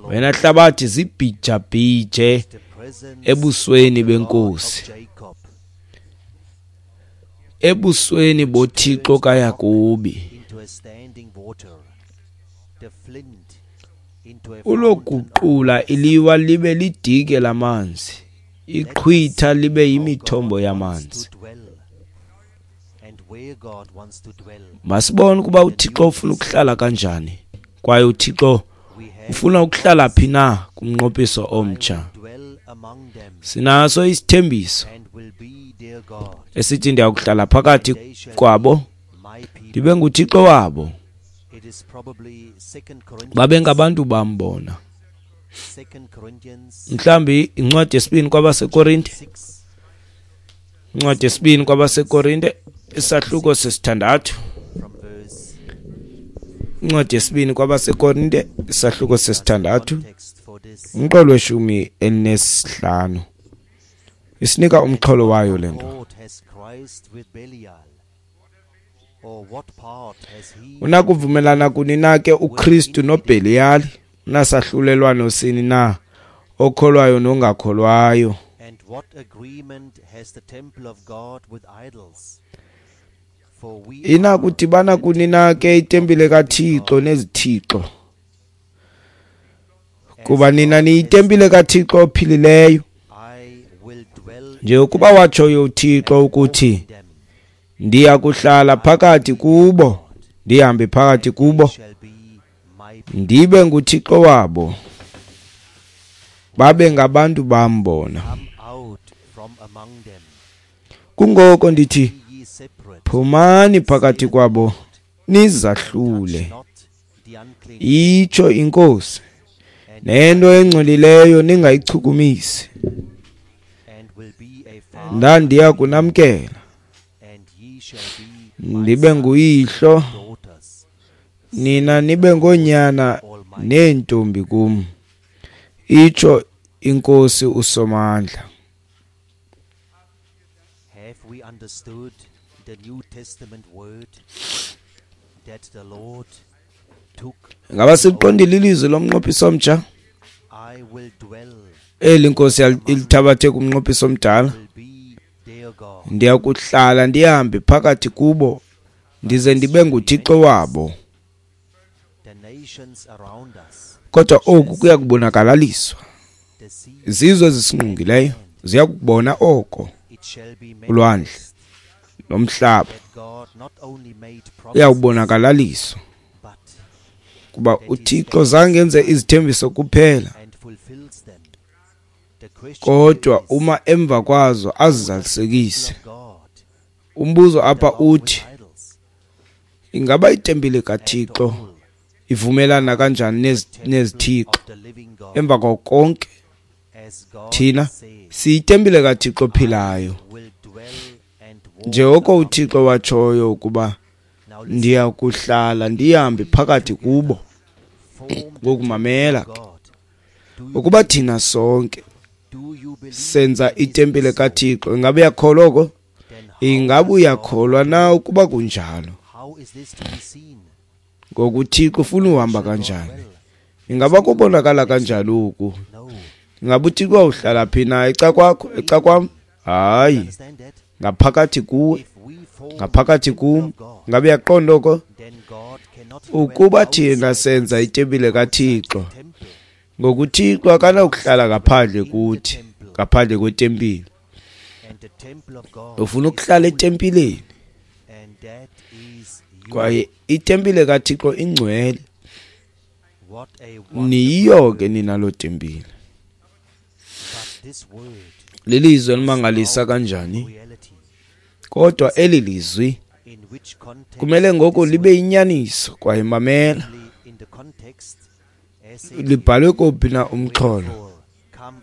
S2: wena hlabathi zibhijabhije ebusweni benkosi, ebusweni boThixo kaYakobi. Uloguqula iliwa libe lidike lamanzi, iqhwitha libe yimithombo yamanzi. Masibone ukuba uThixo ufuna ukuhlala kanjani, kwaye uThixo ufuna ukuhlala phi na kumnqophiso omtsha. Sinaso isithembiso esithi ndiyakuhlala phakathi kwabo, ndibe nguThixo wabo, babe ngabantu bam bona. Mhlawumbi incwadi yesibini kwabaseKorinte, incwadi yesibini kwabaseKorinte isahluko sesithandathu Incwadi yesibini kwabaseKorinte, isahluko sesithandathu, umqolo weshumi elinesihlanu. Isinika umxholo wayo le nto. Unakuvumelana kuni na ke uKristu noBheliyali? Unasahlulelwano sini na okholwayo nongakholwayo? Inakudibana kuni na ke itempile kaThixo nezithixo? Kuba nina niyitempile kaThixo ophilileyo. Njengokuba watshoyo uThixo ukuthi, ndiya kuhlala phakathi kubo, ndihambe phakathi kubo, ndibe nguThixo wabo, babe ngabantu bam bona. Kungoko ndithi, phumani phakathi kwabo, nizahlule, itsho iNkosi, nento engcolileyo ningayichukumisi. Ndandiya kunamkela, ndibe nguyihlo, nina nibe ngoonyana neentombi kum, itsho iNkosi uSomandla. Ngaba siliqondile ilizwi lomnqophiso omtsha? Eli Nkosi ilithabathe kumnqophiso omdala. Ndiya kuhlala ndihambe phakathi kubo, ndize ndibe nguThixo wabo. Kodwa oku kuya kubonakalaliswa. Izizwe ezisingqongileyo ziya kukubona oko. Ulwandle nomhlaba uyawubonakalaliswa, kuba uThixo zange enze izithembiso kuphela, kodwa uma emva kwazo azizalisekise. Umbuzo apha uthi, ingaba itempile kaThixo ivumelana kanjani nezithixo? Emva kwako konke, thina siyitempile kaThixo ophilayo. Njengoko uThixo watshoyo ukuba ndiya kuhlala ndihambe phakathi kubo. Ngokumamela ke, ukuba thina sonke senza itempile kaThixo, ingabe uyakholwa oko? Ingabe uyakholwa na ukuba kunjalo? Ngoku uThixo ufuna uhamba kanjani? Ingaba kubonakala kanjani oku? Ingabe uThixo uhlala phi na? Eca kwakho, eca kwam? Hayi, ngaphakathi kuwe, ngaphakathi kum. Ingabe uyaqonda oko? Ukuba thina senza itempile kaThixo, ngokuThixo akanakuhlala ngaphandle kuthi, ngaphandle kwetempile. Ufuna ukuhlala etempileni, kwaye itempile kaThixo ingcwele. Niyiyo ke nina loo tempile. Lilizwi elimangalisa kanjani? Kodwa eli lizwi kumele ngoku libe yinyaniso. Kwaye mamela, libhalwe kophi na umxholo?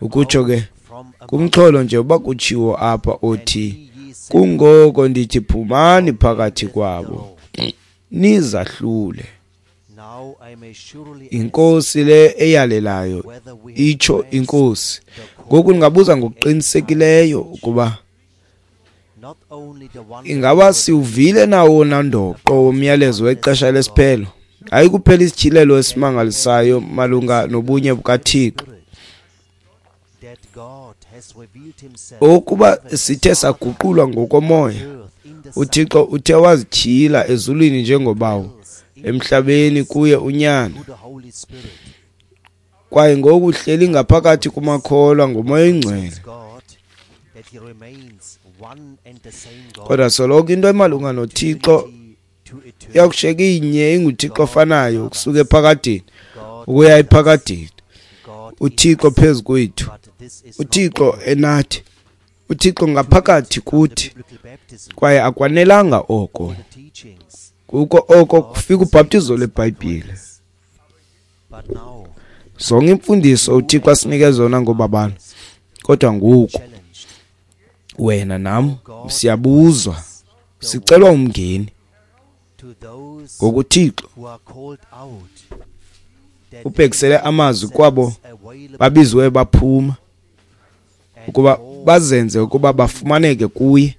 S2: Ukutsho ke kumxholo nje uba kutshiwo apha othi, kungoko ndithi phumani phakathi kwabo, nizahlule. Inkosi le eyalelayo, itsho iNkosi. Ngoku ndingabuza ngokuqinisekileyo ukuba ingaba siwuvile na wona ndoqo womyalezo wexesha lesiphelo? Hayi kuphela isityhilelo esimangalisayo malunga nobunye bukaThixo, ukuba sithe saguqulwa ngokomoya, uThixo uthe wazityhila ezulwini njengoBawo, emhlabeni kuye uNyana, kwaye ngoku uhleli ngaphakathi kumakholwa ngoMoya oyiNgcwele. Kodwa soloko into emalunga noThixo iyakushiyeka inye, inguThixo ofanayo ukusuka ephakadeni ukuya ephakadeni. uThixo phezu kwethu, uThixo enathi, uThixo ngaphakathi kuthi. Kwaye akwanelanga oko, kuko oko kufika ubhaptizo lweBhayibhile. Zonke imfundiso uThixo asinike zona ngobabalo, kodwa ngoku wena nam siyabuzwa, sicelwa umngeni. Ngoku uThixo ubhekisele amazwi kwabo babiziweyo baphuma ukuba bazenze ukuba bafumaneke kuye,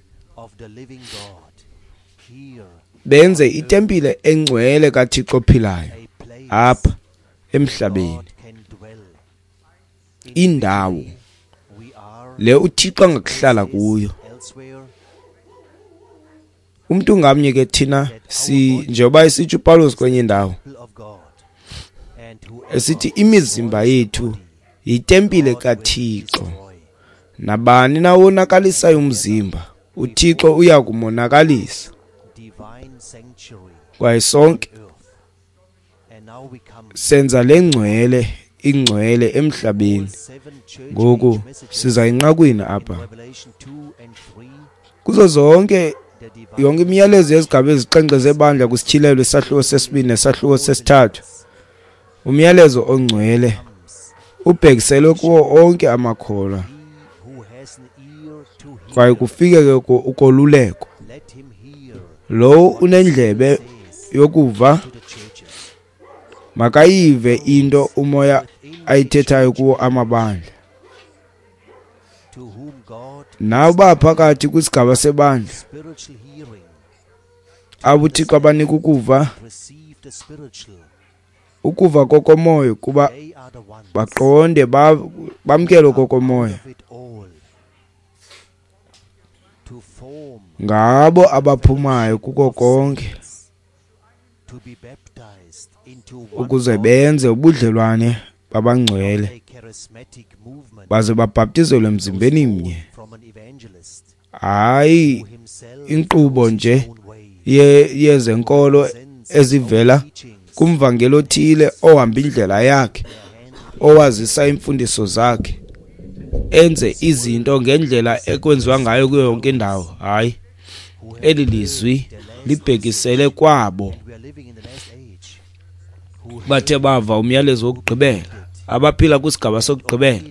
S2: benze itempile engcwele kaThixo ophilayo apha emhlabeni, indawo le uThixo angakuhlala kuyo. Umntu ngamnye ke thina si njengoba esitsho uPawulos kwenye indawo esithi imizimba yethu yitempile kaThixo, nabani na wonakalisayo umzimba uThixo uya kumonakalisa. Kwaye sonke senza le ngcwele ingcwele emhlabeni. Ngoku siza enqakwini apha kuzo zonke yonke imiyalezo yezigaba ezixhenxe zebandla kusityhilelo isahluko sesibini nesahluko sesithathu, umyalezo ongcwele ubhekiselwe kuwo onke amakholwa, kwaye kufike ke ukoluleko. Lowo unendlebe yokuva makayive into umoya ayithethayo kuwo amabandla. Nawo phakathi kwisigaba sebandla abo uThixo abanika ukuva, ukuva kokomoya, kuba baqonde bamkele kokomoya, ngabo abaphumayo kuko konke ukuze benze ubudlelwane babangcwele baze babhaptizelwe emzimbeni mnye. Hayi inkqubo nje yezenkolo ezivela kumvangeli othile ohamba indlela yakhe, owazisa iimfundiso zakhe, enze izinto ngendlela ekwenziwa ngayo kuyo yonke indawo. Hayi, eli lizwi libhekisele kwabo bathe bava umyalezo wokugqibela, abaphila kwisigaba sokugqibela,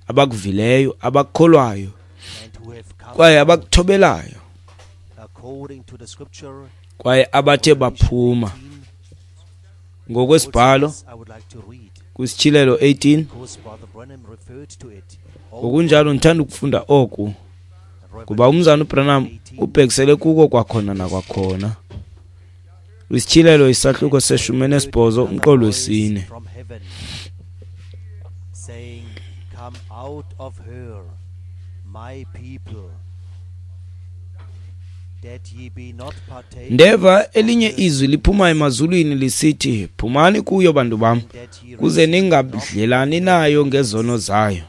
S2: abakuvileyo, abakukholwayo kwaye abakuthobelayo, kwaye abathe baphuma. Ngokwesibhalo kwisityhilelo eighteen, ngokunjalo ndithanda ukufunda oku kuba umzana uBranham ubhekisele kuko kwakhona nakwakhona. Kwisityhilelo isahluko seshumi nesibhozo umqolo wesine. Ndeva elinye izwi liphuma emazulwini lisithi, phumani kuyo bantu bam, kuze ningabudlelani nayo ngezono zayo,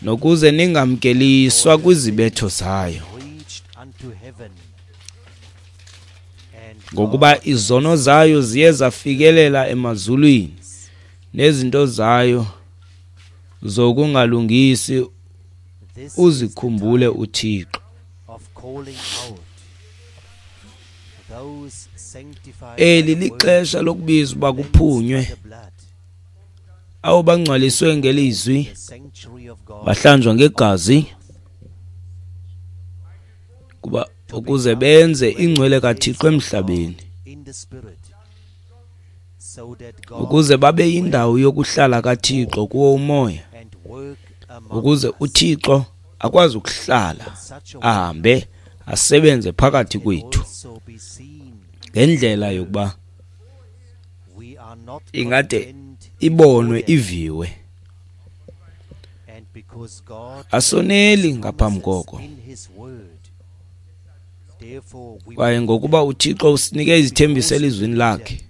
S2: nokuze ningamkeliswa kwizibetho zayo. Ngokuba izono zayo ziye zafikelela emazulwini, nezinto zayo zokungalungisi uzikhumbule uThixo. Eli lixesha lokubiza uba kuphunywe abo bangcwaliswe ngelizwi, bahlanjwa ngegazi, kuba ukuze benze ingcwele kaThixo emhlabeni, ukuze babe yindawo yokuhlala kaThixo kuwo umoya, ukuze uThixo akwazi ukuhlala ahambe asebenze phakathi kwethu ngendlela yokuba ingade ibonwe iviwe. Asoneli ngaphambi koko, kwaye ngokuba uThixo usinike izithembiso elizwini lakhe,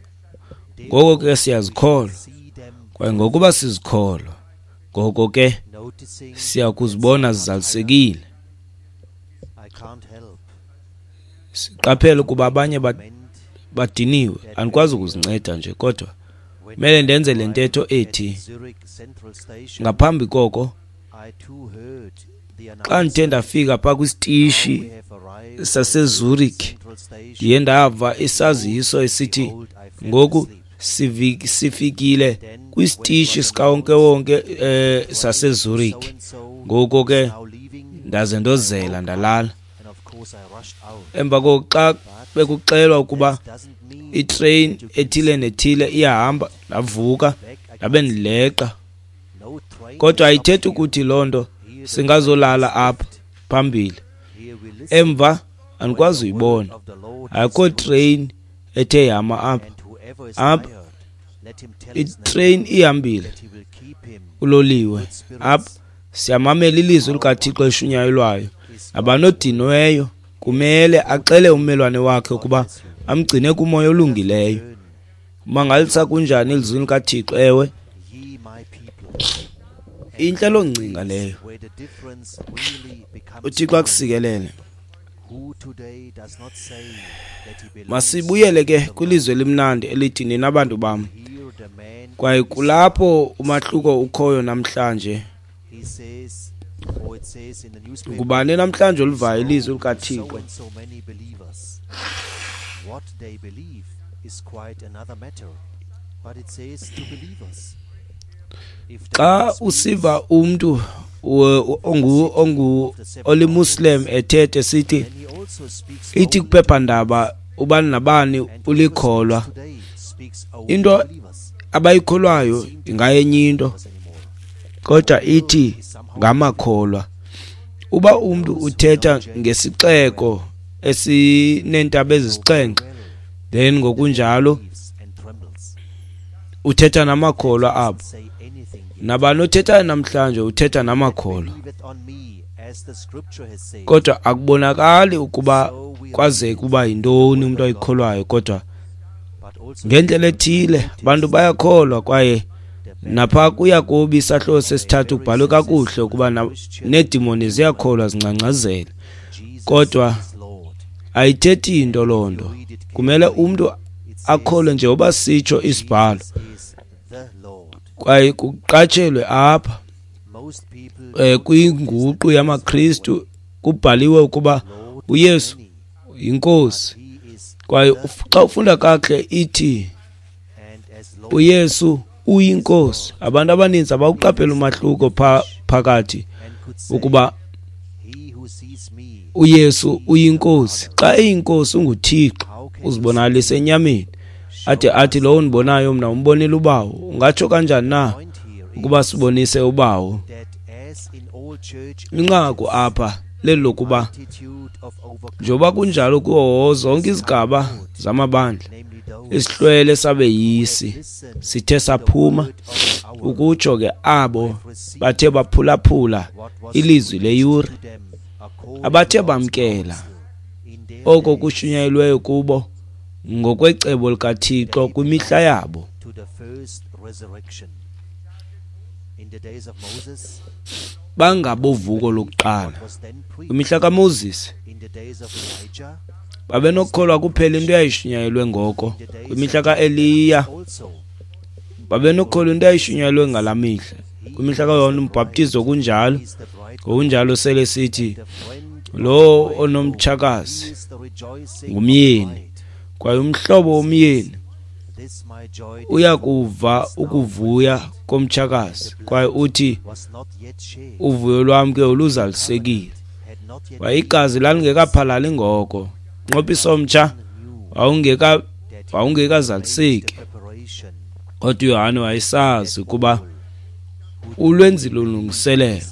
S2: ngoko ke siyazikholwa, kwaye ngokuba sizikholwa, ngoko ke siyakuzibona zizalisekile. Siqaphele ukuba abanye badiniwe, andikwazi ukuzinceda nje, kodwa kumele ndenze le ntetho ethi ngaphambi koko, xa ndithe ndafika phaa kwisitishi saseZurich, ndiye ndava isaziso esithi ngoku sifikile kwisitishi sikawonkewonke eh saseZurich. Ngoko ke ndaze ndozela ndalala. Emva koko xa bekuxelwa ukuba itrain ethile nethile iyahamba, ndavuka ndabe ndileqa. Kodwa ayithethi ukuthi loo nto singazolala apha phambili. Emva andikwazi uyibona. Akukho train ethe yama apha. Apha itrain ihambile, uloliwe. Apha siyamamela ilizwi likaThixo elishunyayelwayo. Abanodinweyo kumele axele ummelwane wakhe ukuba amgcine kumoya olungileyo. Mangalisa kunjani ilizwi likaThixo? Ewe, intle loo ngcinga leyo. UThixo akusikelele. Masibuyele ke kwilizwe elimnandi elithi nina bantu bam. Kwaye kulapho umahluko ukhoyo namhlanje. Ngubani namhlanje oluvayo ilizwi likaThixo? Xa usiva umntu ongu ongu olimuslim ethethe sithi ithi kuphephandaba ubani nabani ulikholwa, into abayikholwayo ingayenye into, kodwa ithi ngamakholwa. Uba umntu uthetha ngesixeko esineentaba ezisixhenxe, then ngokunjalo uthetha namakholwa apho. Nabani othethayo namhlanje uthetha namakholwa, kodwa akubonakali ukuba kwazeke uba yintoni umntu ayikholwayo. Kodwa ngendlela ethile abantu bayakholwa. Kwaye napha kuYakobi isahluko sesithathu kubhalwe kakuhle ukuba needimoni ziyakholwa zingcangcazela, kodwa ayithethi into loo nto. Kumele umntu akholwe njengoba sitsho isibhalo. Kwaye kuqatshelwe apha eh kwinguqu yamaKristu kubhaliwe ukuba uYesu yinkosi. Kwaye xa ufunda kakuhle ithi uYesu uyinkosi. Abantu abaninzi abawuqaphela umahluko phakathi ukuba uYesu uyinkosi. Xa eyinkosi unguThixo, uzibonakalisa enyameni. Ade athi lowo undibonayo mna umbonile uBawo. Ungatsho kanjani na ukuba sibonise uBawo? Inqaku apha lelokuba njengoba kunjalo kuwo zonke izigaba zamabandla, isihlwele sabeyisi sithe saphuma, ukutsho ke abo bathe baphulaphula ilizwi leyure, abathe bamkela oko kushunyayelweyo kubo ngokwecebo likaThixo kwimihla yabo. Bangabovuko lokuqala. Kwimihla kaMoses babenokukholwa kuphela into eyayishunyayelwe ngoko. Kwimihla kaEliya babenokukholwa into eyayishunyayelwe ngalaa mihla. Kwimihla kaYohane uMbhaptizo kunjalo. Ngokunjalo sele sithi lo onomtshakazi ngumyeni, kwaye umhlobo womyeni uyakuva ukuvuya komtshakazi, kwaye uthi uvuyo lwam ke oluzalisekile. Kwaye igazi lalingekaphalali ngoko, umnqophiso omtsha wawungeka wawungekazaliseki. Kodwa uYohane wayesazi ukuba ulwenzile ulungiselelo,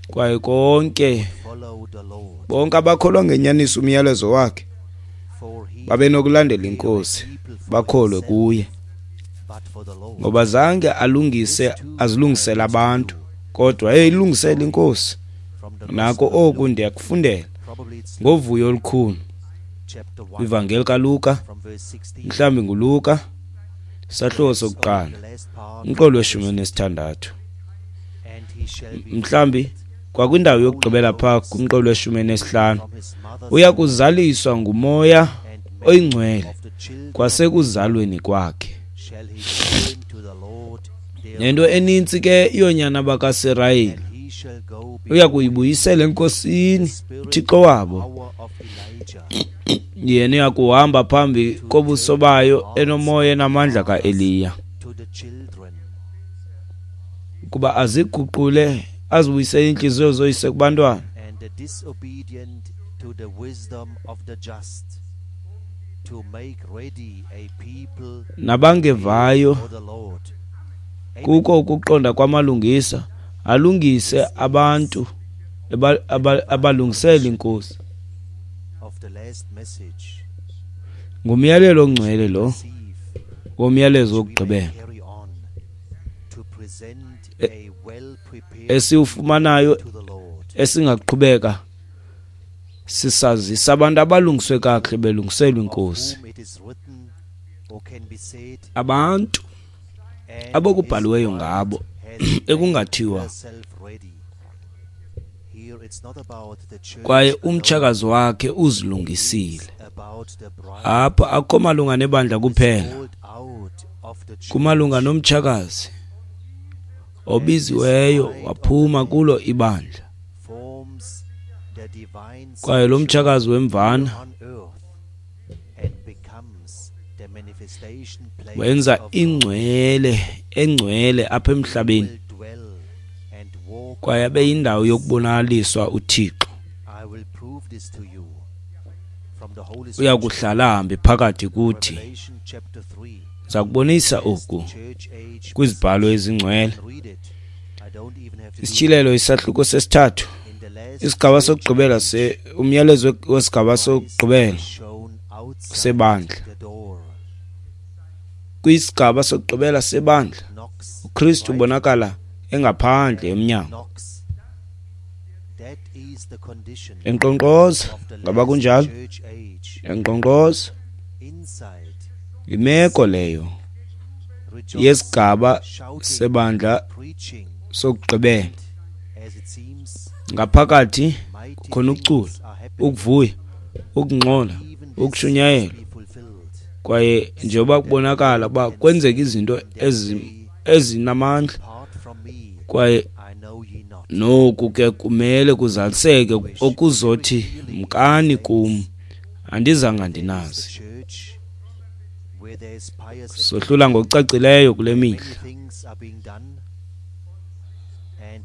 S2: kwaye konke bonke abakholwa ngenyaniso umyalezo wakhe babenokulandela inkosi bakholwe kuye, ngoba zange alungise azilungisele abantu, kodwa wayeyilungisela inkosi. Nako oku ndiyakufundela ngovuyo olukhulu. Ivangeli kaLuka, mhlawumbi nguLuka, isahluko sokuqala, umqolo weshumi nesithandathu. Mhlawumbi kwakwindawo yokugqibela phaa kumqolo weshumi nesihlanu, uya kuzaliswa nguMoya oyiNgcwele kwasekuzalweni kwakhe. Nento enintsi ke yoonyana bakaSirayeli uya kuyibuyisela eNkosini uThixo wabo. Yena uya kuhamba phambi kobuso bayo enomoya enamandla kaEliya, ukuba aziguqule azibuyisele iintliziyo zoyise kubantwana, Nabangevayo kuko ukuqonda kwamalungisa, alungise abantu abalungisela iNkosi. Ngumyalelo ongcwele lo womyalezo wokugqibela esiwufumanayo, esingaqhubeka sisazisa abantu abalungiswe kakuhle belungiselwa iNkosi. Abantu abokubhaliweyo ngabo ekungathiwa kwaye umtshakazi wakhe uzilungisile. Apha akukho malunga nebandla kuphela, kumalunga nomtshakazi obiziweyo waphuma kulo ibandla. Kwaye lo mtshakazi wemvana wenza ingcwele engcwele apha emhlabeni, kwaye abe yindawo yokubonakaliswa uThixo. Uya kuhlala ahambe phakathi kuthi. Ndiza kubonisa oku kwizibhalo ezingcwele. Isityhilelo isahluko sesithathu, isigaba sokugqibela se umyalezo wesigaba sokugqibela sebandla. Kwisigaba sokugqibela sebandla, uKristu ubonakala engaphandle emnyango, enkqonkqoza. Ngaba kunjalo? Enkqonkqoza. Imeko leyo yesigaba sebandla sokugqibela. Ngaphakathi kukhona ukucula, ukuvuya, ukungxola, ukushunyayelwa, kwaye njengoba kubonakala uba kwenzeka izinto ezinamandla, kwaye noku ke kumele kuzaliseke okuzothi mkani kum, andizanga ndinazi. Sohlula ngokucacileyo kule mihla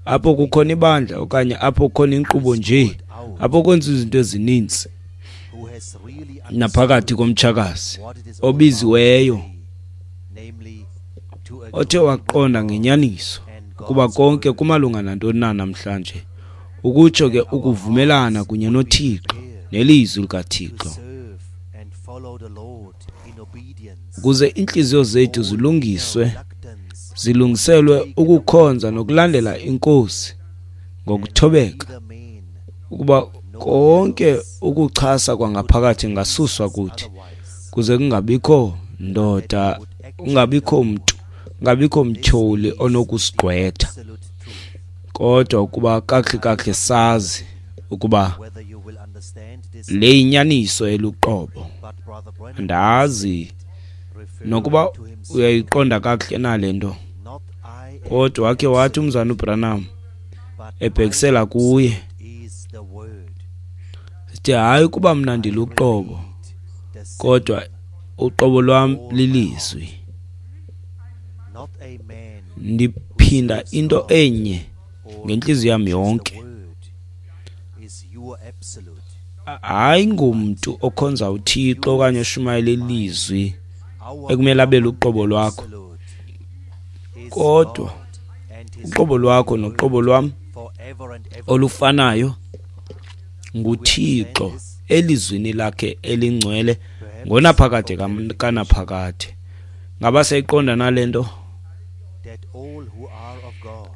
S2: apho kukhona ibandla okanye apho kukhona inkqubo nje, apho kwenziwa izinto ezininzi naphakathi komtshakazi obiziweyo othe waqonda ngenyaniso ukuba konke kumalunga nantoni na namhlanje, ukutsho ke ukuvumelana kunye noThixo nelizwi likaThixo, ukuze iintliziyo zethu zilungiswe, zilungiselwe ukukhonza nokulandela iNkosi ngokuthobeka, ukuba konke ukuchasa kwangaphakathi kungasuswa kuthi, kuze kungabikho ndoda, kungabikho mntu, kungabikho mtyholi onokusigqwetha, kodwa ukuba kakuhle kakuhle sazi ukuba le yinyaniso eluqobo. Andazi nokuba uyayiqonda kakuhle na le nto, kodwa wakhe wathi umzana uBranham ebhekisela kuye, sithi hayi kuba mna ndiluqobo, kodwa uqobo lwam lilizwi. Ndiphinda into enye ngentliziyo yam yonke. Hayi ngumntu okhonza uThixo okanye oshumayela ilizwi ekumele abe luqobo lwakho, kodwa uqobo lwakho noqobo lwam olufanayo nguThixo elizwini lakhe elingcwele ngonaphakade kanaphakade. Ngaba siyayiqonda nale nto?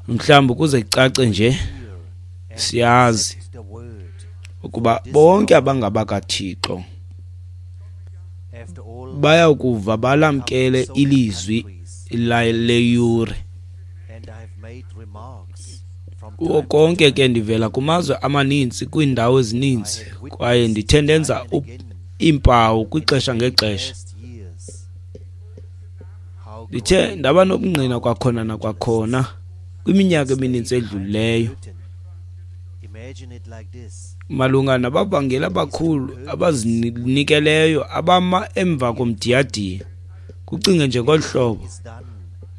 S2: Mhlawumbi ukuze kucace nje, siyazi ukuba bonke abangabakaThixo bayakuva balamkele ilizwi leyure. Kuwo konke ke ndivela kumazwe amaninzi, kwiindawo ezininzi, kwaye ndithe ndenza iimpawu kwixesha ngexesha. Ndithe ndaba nobungqina kwakhona nakwakhona kwiminyaka emininzi edlulileyo malunga nabavangeli abakhulu abazinikeleyo abama emva komdiyadiya. Kucinge nje ngolu hlobo,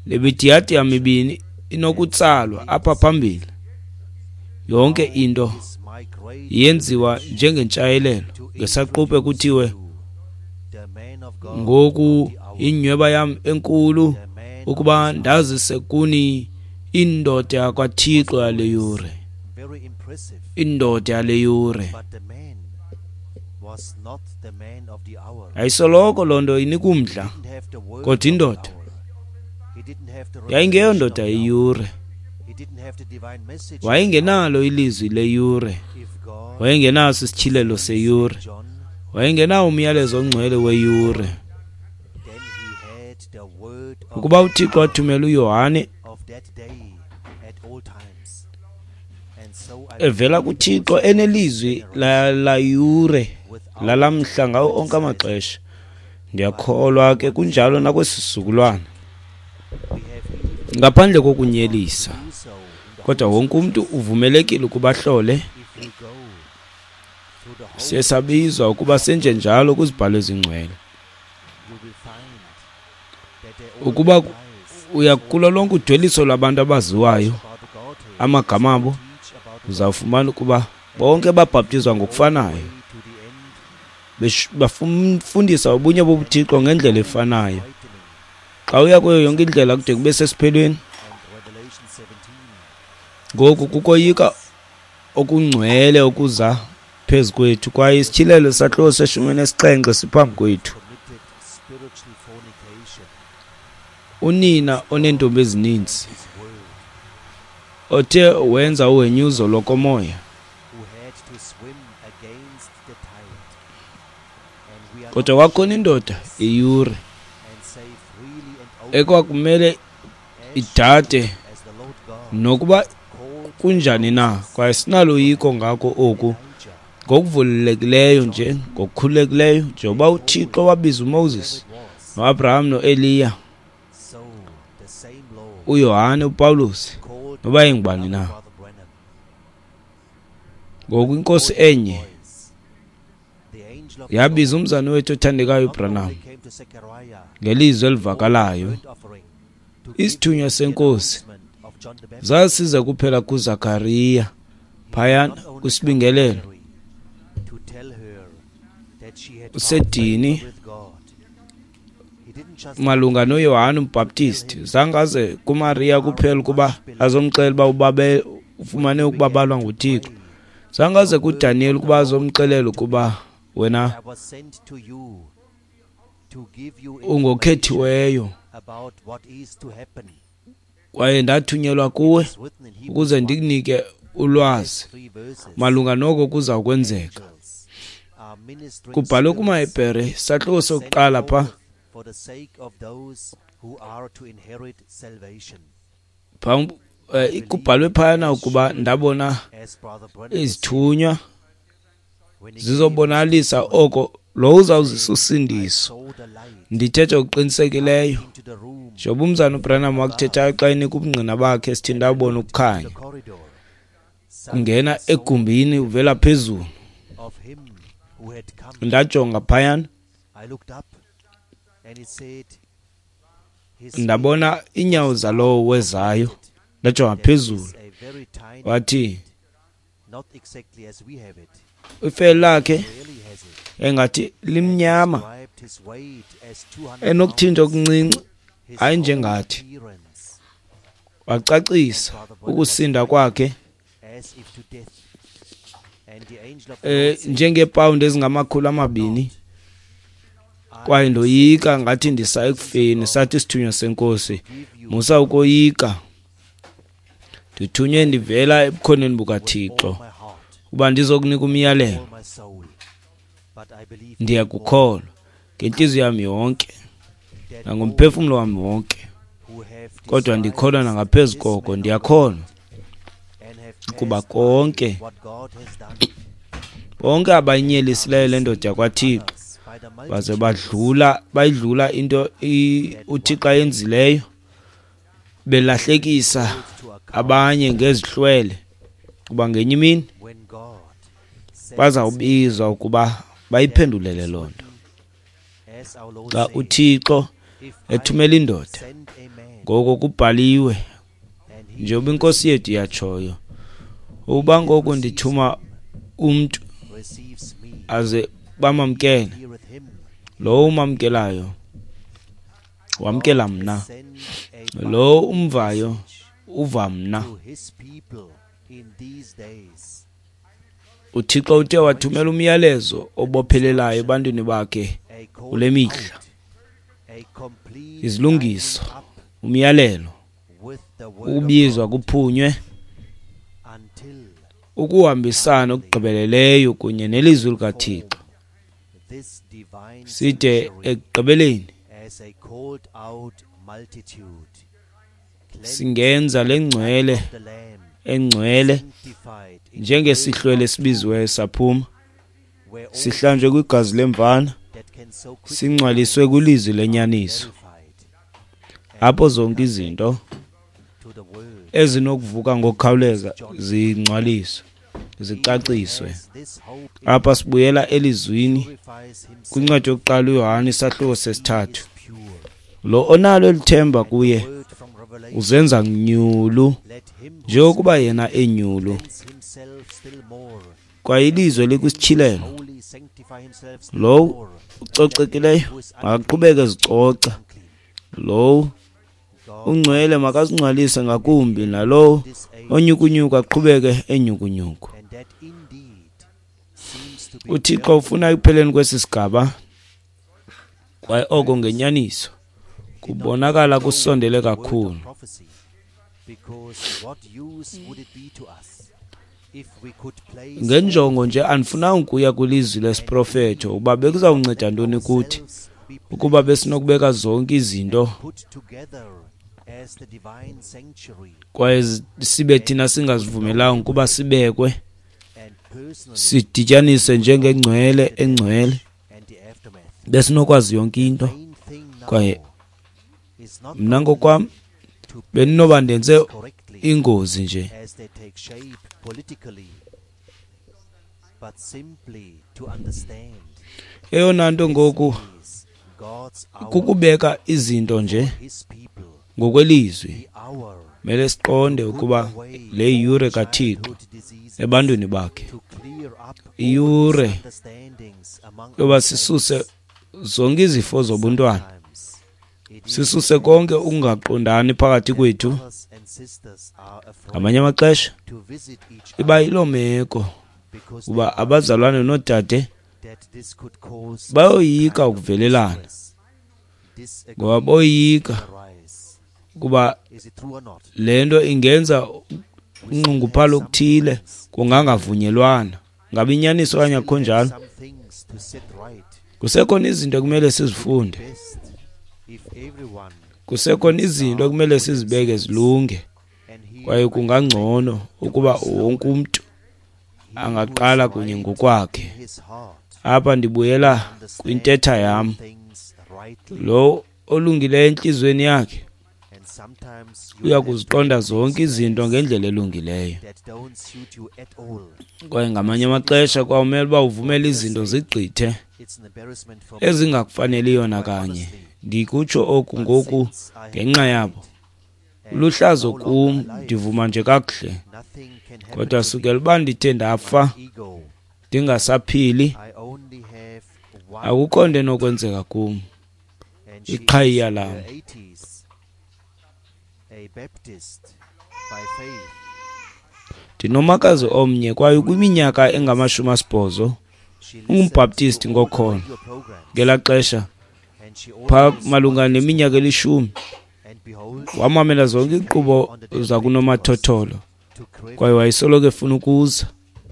S2: le midiyadiya mibini inokutsalwa apha phambili, yonke into yenziwa njengentshayelelo ngesaquphe kuthiwe Ngoku inyweba yam enkulu ukuba ndazise kuni indoda yakwaThixo yale yure, indoda yale yure. Ayisoloko loo nto inika umdla, kodwa indoda yayingeyondoda yeyure. Wayengenalo ilizwi leyure, wayengenaso isityhilelo seyure, wayengenawo umyalezo ongcwele weyure. Ukuba uThixo wathumela uYohane evela kuThixo enelizwi layure lalamhla ngawo onke amaxesha, ndiyakholwa ke kunjalo nakwesi sizukulwana, ngaphandle kokunyelisa. Kodwa wonke umntu uvumelekile ukuba ahlole. Siye sabizwa ukuba senje njalo kwizibhalo ezingcwele. Ukuba uya kulo lonke udweliso lwabantu abaziwayo amagama abo, uzawufumana ukuba bonke babhaptizwa ngokufanayo, bafundisa ubunye bobuThixo ngendlela efanayo. Xa uya kuyo yonke indlela kude kube sesiphelweni. Ngoku kukoyika okungcwele okuza phezu kwethu, kwaye isityhilelo sahluko seshumi nesixhenxe siphambi kwethu. Unina oneentombi ezininzi othe wenza uhenyuzo lokomoya, kodwa kwakhona indoda eyure ekwakumele idade nokuba kunjani na, kwaye sinaloyiko ngako oku ngokuvulekileyo nje, ngokukhululekileyo, njengoba uThixo wabiza uMoses noAbraham noEliya, uYohane, uPawulos, noba ingubani na. Ngoku inkosi enye yabiza umzana wethu othandekayo uBranham ngelizwi elivakalayo. Isithunywa senkosi zasiza kuphela kuZakariya phayana kwisibingelelo usedini malunga noYohane uMbhaptisti. Zangaze kuMariya kuphela ukuba azomxelela uba ubabe ufumane ukubabalwa nguThixo. Zangaze kuDaniel ukuba azomxelela ukuba wena ungokhethiweyo kwaye ndathunyelwa kuwe ukuze ndikunike ulwazi malunga noko kuza kwenzeka. Kubhalwe kumaHebhere isahluko sokuqala pha kubhalwe phayana ukuba ndabona izithunywa zizobonalisa oko lo uzawuzisa usindiso. Ndithetha ngokuqinisekileyo njengoba umzana uBranham wakuthethayo xa enika ubungqina bakhe, sithi ndabona ukukhanya kungena egumbini uvela phezulu. Ndajonga phayana, ndabona iinyawo zalowo wezayo. Ndajonga phezulu, wathi ifele lakhe engathi limnyama, enokuthinta okuncinci, hayi njengathi. Wacacisa ukusinda kwakhe eh njengeepawundi ezingamakhulu amabini, kwaye ndoyika ngathi ndisa ekufeni. Sathi isithunywa senkosi, musa ukoyika, ndithunywe ndivela ebukhoneni bukaThixo uba ndizokunika umyalelo. Ndiyakukholwa ngentliziyo yam yonke nangomphefumlo wam wonke, kodwa ndikholwa nangaphezu koko. Ndiyakholwa ukuba konke bonke abayinyelisileyo le ndoda yakwaThixo baze badlula bayidlula into uThixo ayenzileyo, belahlekisa abanye ngezihlwele, kuba ngenye imini bazawubizwa ukuba bayiphendulele loo nto. Xa uThixo ethumela indoda, ngoko kubhaliwe njengoba inkosi yethu yatshoyo, ukuba ngoku ndithuma umntu aze bamamkele, Lowo umamkelayo wamkela mna, lowo umvayo uva mna. UThixo uthe wathumela umyalezo obophelelayo ebantwini bakhe kule mihla. Izilungiso, umyalelo, ukubizwa kuphunywe, ukuhambisana okugqibeleleyo kunye nelizwi likaThixo, side ekugqibeleni singenza le ngcwele engcwele njengesihlwele esibiziweyo saphuma, sihlanjwe kwigazi lemvana, singcwaliswe kwilizwi lenyaniso, apho zonke izinto ezinokuvuka ngokukhawuleza zingcwaliswe, zicaciswe. Apha sibuyela elizwini kwincwadi yokuqala uYohane isahluko sesithathu. Lo onalo elithemba kuye uzenza nyulu njengokuba yena enyulu. Kwaye ilizwe likwisityhilelo. Lowo ucocekileyo makaqhubeke ezicoca, lowo ungcwele makazingcwalise ngakumbi, nalowo onyukunyuku aqhubeke enyukunyuku. UThixo ufuna ekupheleni kwesi sigaba, kwaye oko ngenyaniso kubonakala kusondele kakhulu. Ngenjongo nje andifunanga ukuya kwilizwi lesiprofeto uba bekuzawunceda ntoni kuthi ukuba besinokubeka zonke izinto kwaye sibe thina singazivumelanga ukuba sibekwe sidityaniswe njengengcwele engcwele, besinokwazi yonke into. Kwaye mna ngokwam bendinoba ndenze ingozi nje. Eyona nto ngoku kukubeka izinto nje ngokwelizwi. Mele siqonde ukuba le yure kaThixo ebantwini bakhe, iyure yoba sisuse zonke izifo zobuntwana, sisuse konke ukungaqondani phakathi kwethu. Ngamanye amaxesha iba yiloo meko uba abazalwane noodade bayoyika ukuvelelana, ngoba boyika ukuba le nto ingenza unxunguphalo okuthile, kungangavunyelwana. Ngabe inyaniso okanye akukho njalo? Kusekhona izinto ekumele sizifunde, kusekhona izinto ekumele sizibeke zilunge, kwaye kungangcono ukuba wonke umntu angaqala kunye ngokwakhe. Apha ndibuyela kwintetha yam. Lo olungileyo entliziyweni yakhe uya kuziqonda zonke izinto ngendlela elungileyo. Kwaye ngamanye amaxesha kwawumele uba uvumele izinto zigqithe ezingakufaneliyo nakanye. Ndikutsho oku ngoku ngenxa yabo. Luhlazo kum, ndivuma nje kakuhle. Kodwa sukela uba ndithe ndafa ndingasaphili, akukho nto enokwenzeka kum. Iqhayiya lam. Ndinomakazi omnye kwaye kwiminyaka engamashumi asibhozo, ungumbhaptisti ngokholo. Ngelaa xesha phaa malunga neminyaka elishumi, wamamela zonke iinkqubo zakunomathotholo, kwaye wayesoloko efuna ukuza.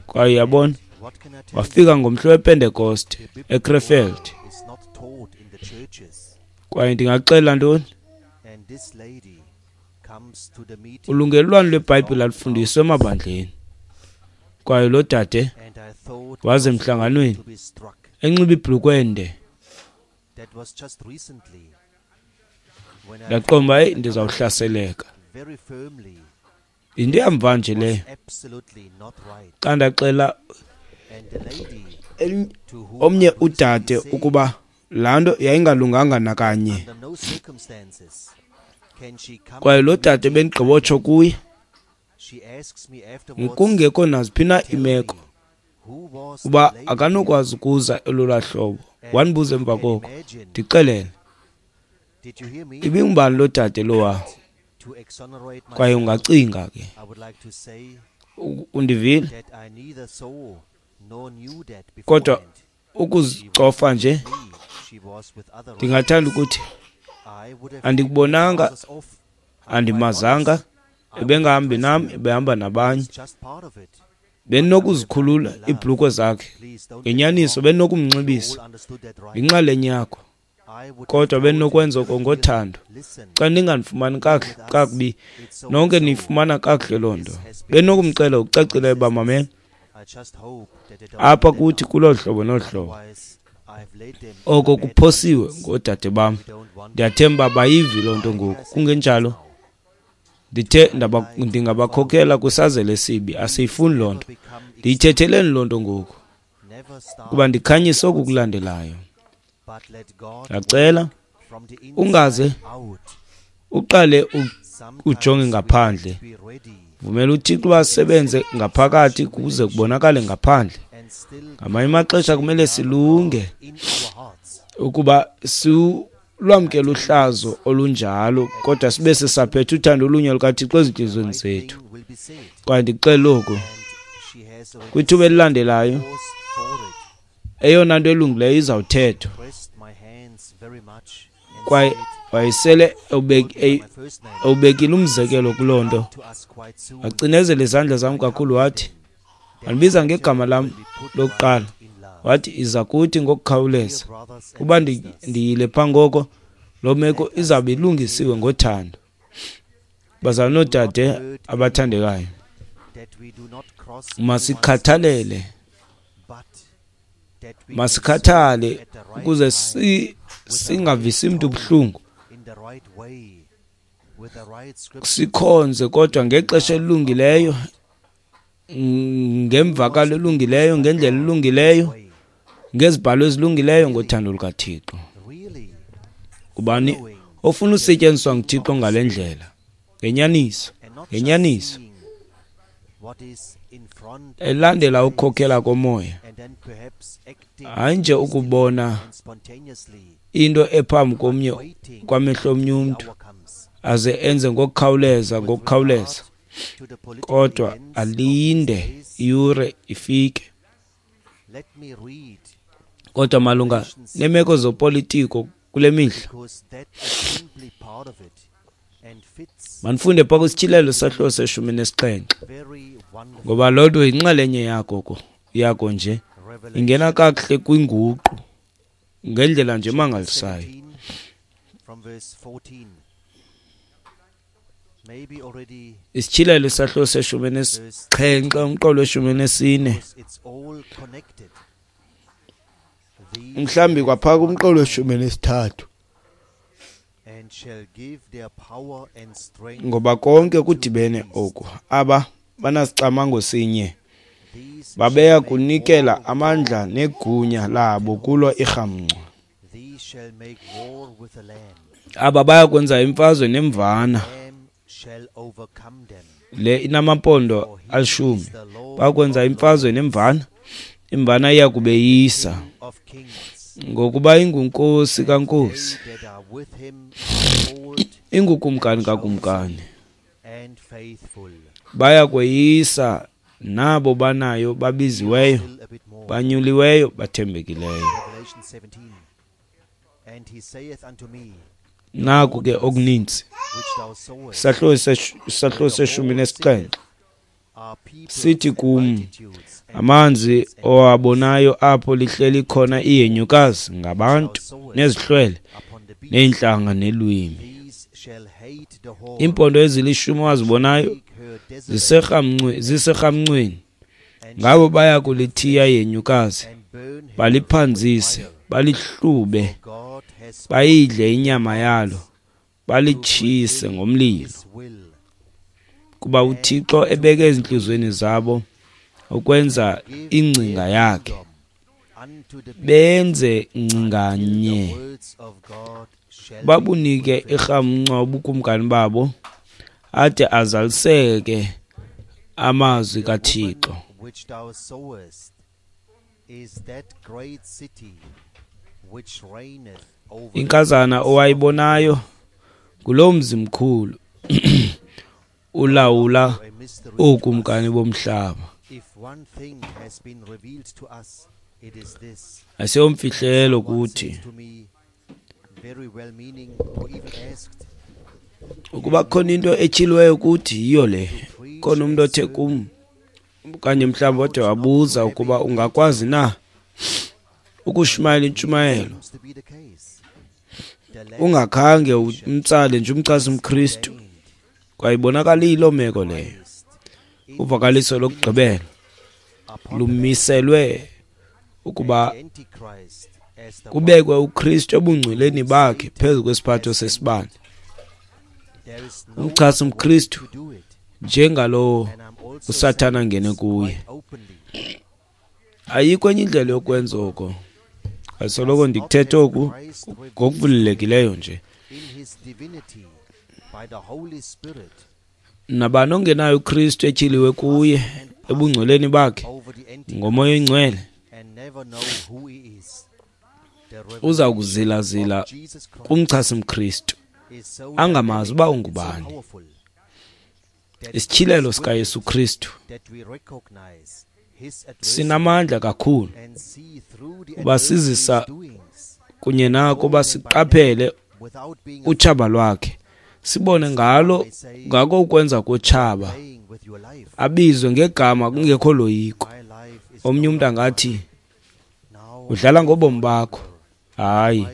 S2: Kwaye yabona, wafika ngomhla wePentekoste eKrefeld. Kwaye ndingaxela ntoni? Ulungelelwano lweBhayibhile alufundiswa emabandleni. Kwaye lo dade waze emhlanganweni enxiba ibhulukhwe ende. Ndaqonda uba ndizawuhlaseleka. Yinto yamva nje leyo. Xa ndaxela omnye udade ukuba laa nto yayingalunganga nakanye, kwaye lo dade bendigqibotsho kuye kungekho naziphi na imeko uba akanokwazi ukuza elolaa hlobo Wandibuza emva koko, ndixelele, ibingubani lo dade lowa? Kwaye ungacinga ke, undivile? Kodwa ukuzicofa nje, ndingathanda ukuthi andikubonanga, andimazanga, ebengahambi nam, ebehamba nabanye. Bendinokuzikhulula iibhulukhwe zakhe ngenyaniso, bendinokumnxibisa yinxalenye yakho, kodwa bendinokwenza oko ngothando. Xa ningandifumani kakuhle kakubi, nonke niyifumana kakuhle loo nto. Bendinokumcela ngokucacileyo uba mamela apha kuthi kuloo hlobo nolu hlobo. Oko kuphosiwe ngoodade bam. Ndiyathemba bayivi loo nto ngoku. Kungenjalo, ndithe ndingabakhokela kwisazela esibi. Asiyifuni loo nto. Ndiyithetheleni loo nto ngoku, kuba ndikhanyise oku kulandelayo. Ndiyacela ungaze uqale ujonge ngaphandle. Vumela uThixo uba asebenze ngaphakathi kuze kubonakale ngaphandle. Ngamanye amaxesha kumele silunge ukuba silwamkele uhlazo olunjalo, kodwa sibe sisaphethe uthando olunye lukaThixo ezintliziyweni zethu. Kwaye ndikuxelela oku, kwithuba elilandelayo eyona nto elungileyo izawuthethwa. Kwaye wayesele ewubekile umzekelo kuloo nto. Wacinezela izandla zam kakhulu, wathi, wandibiza ngegama lam lokuqala, wathi iza kuthi ngokukhawuleza. Uba ndiyile phaa ngoko, loo meko izawube ilungisiwe ngothando. Bazalwane noodade abathandekayo, masikhathalele, masikhathale ukuze si singavisi mntu buhlungu, sikhonze kodwa ngexesha elilungileyo, ngemvakalo elungileyo, ngendlela elungileyo, ngezibhalo ezilungileyo, ngothando lukaThixo. Ubani ofuna usetyenziswa nguThixo ngale ndlela, ngenyaniso, ngenyaniso, elandela ukukhokhela komoya, hayi nje ukubona into ephambi komnye kwamehlo omnye umntu aze enze ngokukhawuleza ngokukhawuleza, kodwa alinde iyure ifike. Kodwa malunga neemeko zopolitiko kule mihla, manifunde phaa kwisityhilelo sahluko seshumi nesixhenxe, ngoba loo nto yinxalenye yako yako nje, ingena kakuhle kwinguqu ngendlela nje emangalisayo. Isityhilelo sahluko seshumi nesixhenxe, umqolo weshumi nesine, mhlawumbi kwaphaa kumqolo weshumi nesithathu, ngoba konke kudibene oku. Aba banasicamango sinye, babeya kunikela amandla negunya labo kulo irhamncwa. Aba baya kwenza imfazwe nemvana le inamampondo alishumi. Bakwenza imfazwe nemvana, imvana iya kubeyisa, ngokuba ingunkosi kankosi, ingukumkani kakumkani. Baya kweyisa nabo banayo babiziweyo, banyuliweyo, bathembekileyo. Naku ke okuninzi. Isahluko seshumi nesixhenxe sithi kum, amanzi owabonayo apho lihleli khona ihenyukazi ngabantu nezihlwele neentlanga nelwimi. Iimpondo ezilishumi owazibonayo ziserhamncweni, ngabo baya kulithiya ihenyukazi, baliphanzise, balihlube, bayidle inyama yalo, balitshise ngomlilo. Kuba uThixo ebeke ezintliziyweni zabo ukwenza ingcinga yakhe, benze ngcinganye, babunike irhamncwa ubukumkani babo, ade azaliseke amazwi kaThixo. Inkazana owayibonayo nguloo mzi mkhulu ulawula ookumkani bomhlaba. Asiyomfihlelo kuthi ukuba khona into etyhiliweyo kuthi yiyo le. Khona umntu othe kum okanye mhlawumbi ode wabuza ukuba ungakwazi na ukushumayela intshumayelo ungakhange umtsale nje umchasi umKristu. Kwayibonakala iyiloo meko leyo. Uvakaliso lokugqibela lumiselwe ukuba kubekwe uKristu ebungcweleni bakhe phezu kwesiphatho sesibane. Umchasi umKristu njengalowo uSathana angene kuye. Ayikho enye indlela yokwenza oko. Asoloko ndikuthetha oku ngokuvulekileyo nje. Nabani ongenayo uKristu etyhiliwe kuye ebungcweleni bakhe ngoMoya oyiNgcwele uza kuzilazila kumchasi mKristu angamazi uba ungubani. Isityhilelo sikaYesu Kristu sinamandla kakhulu uba sizisa kunye nako uba siqaphele utshaba lwakhe, sibone ngalo ngako ukwenza kotshaba, abizwe ngegama kungekho loyiko. Omnye umntu angathi udlala ngobomi bakho. Hayi,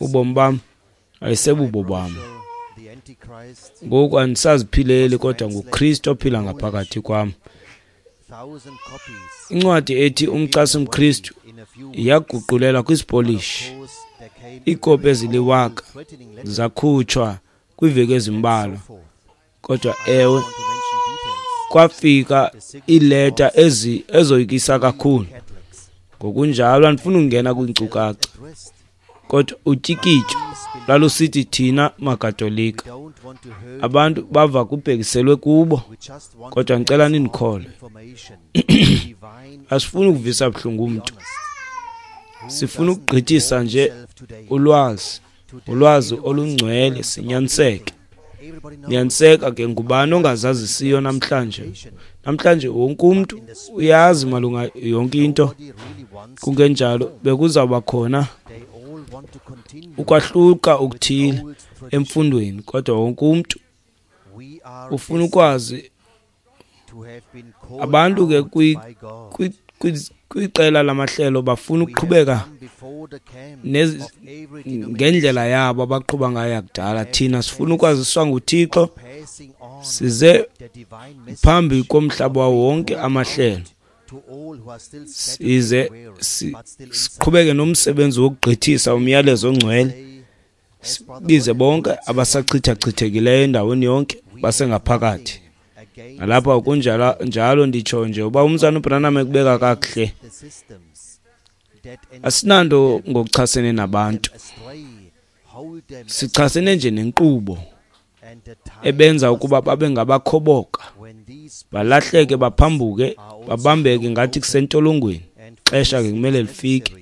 S2: ubomi bam ayisebubo bam. Ngoku andisaziphileli, kodwa nguKristu ophila ngaphakathi kwam. Incwadi ethi Umchasi mKristu yaguqulelwa kwisiPolish. Iikopi eziliwaka zakhutshwa kwiiveki ezimbalwa, kodwa ewe, kwafika iileta ezi ezoyikisa kakhulu. Ngokunjalo andifuni ukungena kwiinkcukacha, kodwa utyikityo lwalusithi thina maKatolika. Abantu bava kubhekiselwe kubo, kodwa ndicela nindikholwe. Asifuni ukuvisa buhlungu umntu, sifuna ukugqithisa nje ulwazi, ulwazi olungcwele, sinyaniseke. Nyaniseka ke, ngubani ongazazisiyo namhlanje? Namhlanje wonke umntu uyazi malunga yonke into. Kungenjalo bekuzawuba khona ukwahluka okuthile emfundweni, kodwa wonke umntu ufuna ukwazi. Abantu ke kwiqela lamahlelo bafuna ukuqhubeka ngendlela yabo abaqhuba ngayo yakudala. Thina sifuna ukwaziswa nguThixo, size phambi komhlaba wonke amahlelo, size siqhubeke nomsebenzi wokugqithisa umyalezo ongcwele, sibize bonke abasachithachithekileyo endaweni yonke basengaphakathi. Nalapha kunjalo njalo nditsho nje uba umzana uBranham ekubeka kakuhle, asinanto ngokuchasene nabantu, sichasene nje nenkqubo ebenza ukuba babe ngabakhoboka, balahleke, baphambuke, babambeke ngathi kusentolongweni. Xesha ke kumele lifike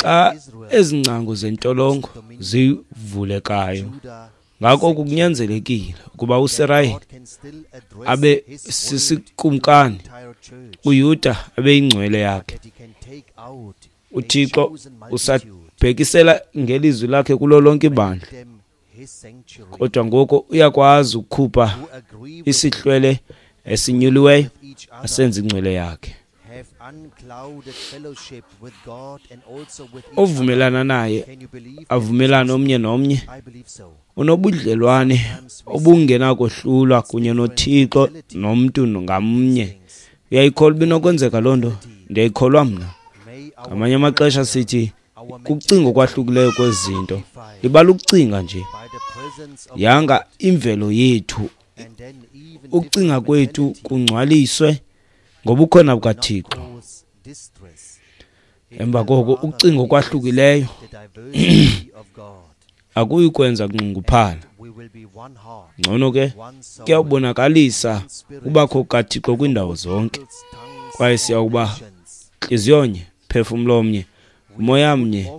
S2: xa ezingcango zentolongo zivulekayo. Ngako kunyanzelekile ukuba uSirayeli abe sisikumkani, uYuda abe ingcwele yakhe. uThixo usabhekisela ngelizwi lakhe kulo lonke ibandla, kodwa ngoku uyakwazi ukukhupha isihlwele esinyuliweyo asenze ingcwele yakhe. Ovumelana naye avumelane omnye nomnye, unobudlelwane obungenakohlulwa kunye noThixo nomntu ngamnye. Uyayikholwa ibinokwenzeka loo nto? Ndiyayikholwa mna. Ngamanye amaxesha sithi kukucinga okwahlukileyo kwezinto. Libala ukucinga nje. Yanga imvelo yethu, ukucinga kwethu kungcwaliswe ngobukhona bukaThixo. Emva koko ukucinga okwahlukileyo akuyi kwenza kunxunguphala. Ngcono ke kuyawubonakalisa ubakho kukaThixo kwiindawo zonke, kwaye siyawuba ntliziyonye, phefumlo omnye, umoya mnye,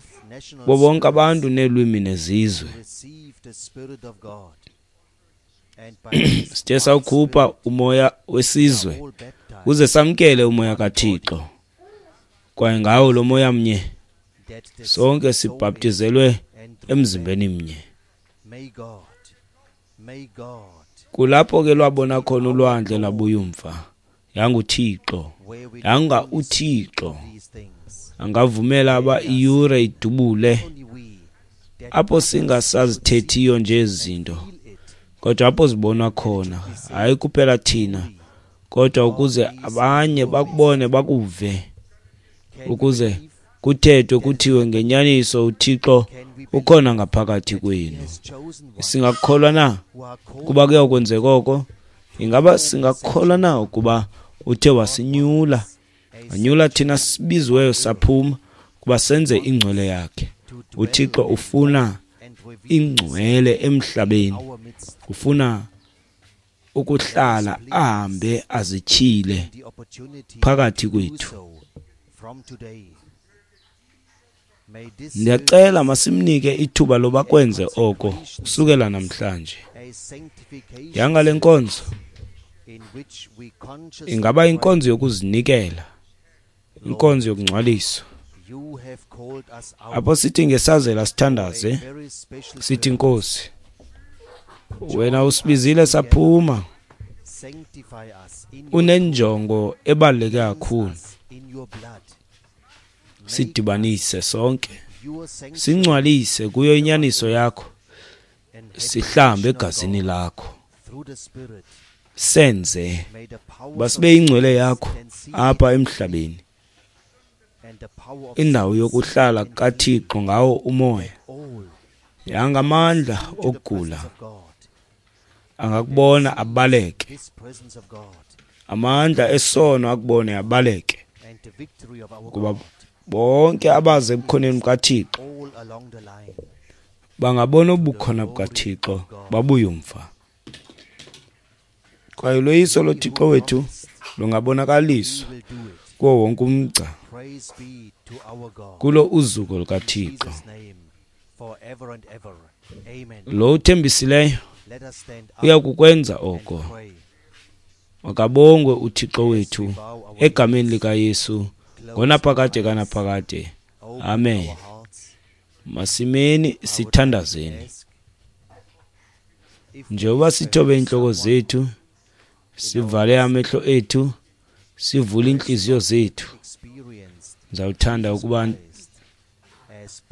S2: Bo bonke abantu neelwimi nezizwe. Sithe sawukhupha umoya wesizwe uze samkele umoya kaThixo. Kwaye ngawo lo moya mnye sonke sibhaptizelwe emzimbeni mnye. Kulapho ke lwabona khona ulwandle lwabuya umva. YanguThixo, yanga uThixo angavumela aba iyure idubule apho singasazithethiyo nje izinto, kodwa apho zibonwa khona, hayi kuphela thina, kodwa ukuze abanye bakubone bakuve, ukuze kuthethwe kuthiwe ngenyaniso uThixo ukhona ngaphakathi kwenu. Singakholwa na kuba kuyakwenzeka oko? Ingaba singakholwa na ukuba uthe wasinyula, wanyula thina sibiziweyo saphuma kuba senze ingcwele yakhe? UThixo ufuna ingcwele emhlabeni, ufuna ukuhlala ahambe azityhile phakathi kwethu. Ndiyacela masimnike ithuba loba kwenze oko kusukela namhlanje. Yanga le nkonzo ingaba inkonzo yokuzinikela, inkonzo yokungcwaliswa, apho sithi ngesazela sithandaze sithi, Nkosi, wena usibizile saphuma, unenjongo ebaluleke kakhulu. Sidibanise sonke, singcwalise kuyo inyaniso yakho, sihlambe egazini lakho, senze basibe ingcwele yakho apha emhlabeni, indawo yokuhlala kaThixo ngawo umoya. Yangamandla okugula angakubona abaleke, amandla esono akubone abaleke, kuba bonke abaze ebukhoneni bukaThixo bangabona ubukhona bukaThixo babuye umva. Kwaye uloyiso loThixo wethu lungabonakaliswa kuwo wonke umgca kulo uzuko lukaThixo. Lo uthembisileyo uya kukwenza oko. Makabongwe uThixo wethu egameni likaYesu ngonaphakade kanaphakade. Amen. Masimeni sithandazeni. Njengoba sithobe inhloko zethu, sivale amehlo ethu, sivule inhliziyo zethu, ndizawuthanda ukuba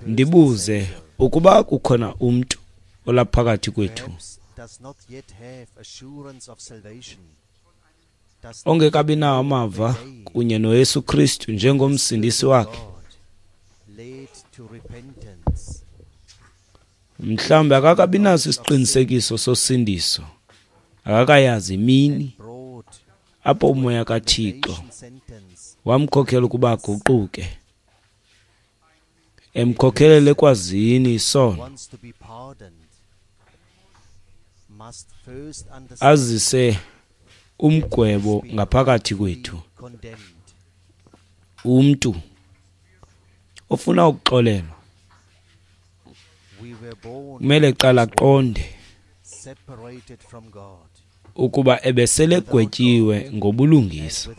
S2: ndibuze ukuba kukhona umntu olaphakathi kwethu ongekabi nawo amava kunye noYesu Kristu njengomsindisi wakhe. Mhlawumbi akakabi naso isiqinisekiso sosindiso, akakayazi imini apho umoya kaThixo wamkhokhela ukuba aguquke, emkhokhelele ekwazini isono, azise umgwebo ngaphakathi kwethu. Umntu ofuna ukuxolelwa kumele qala aqonde ukuba ebesele gwetyiwe ngobulungisa.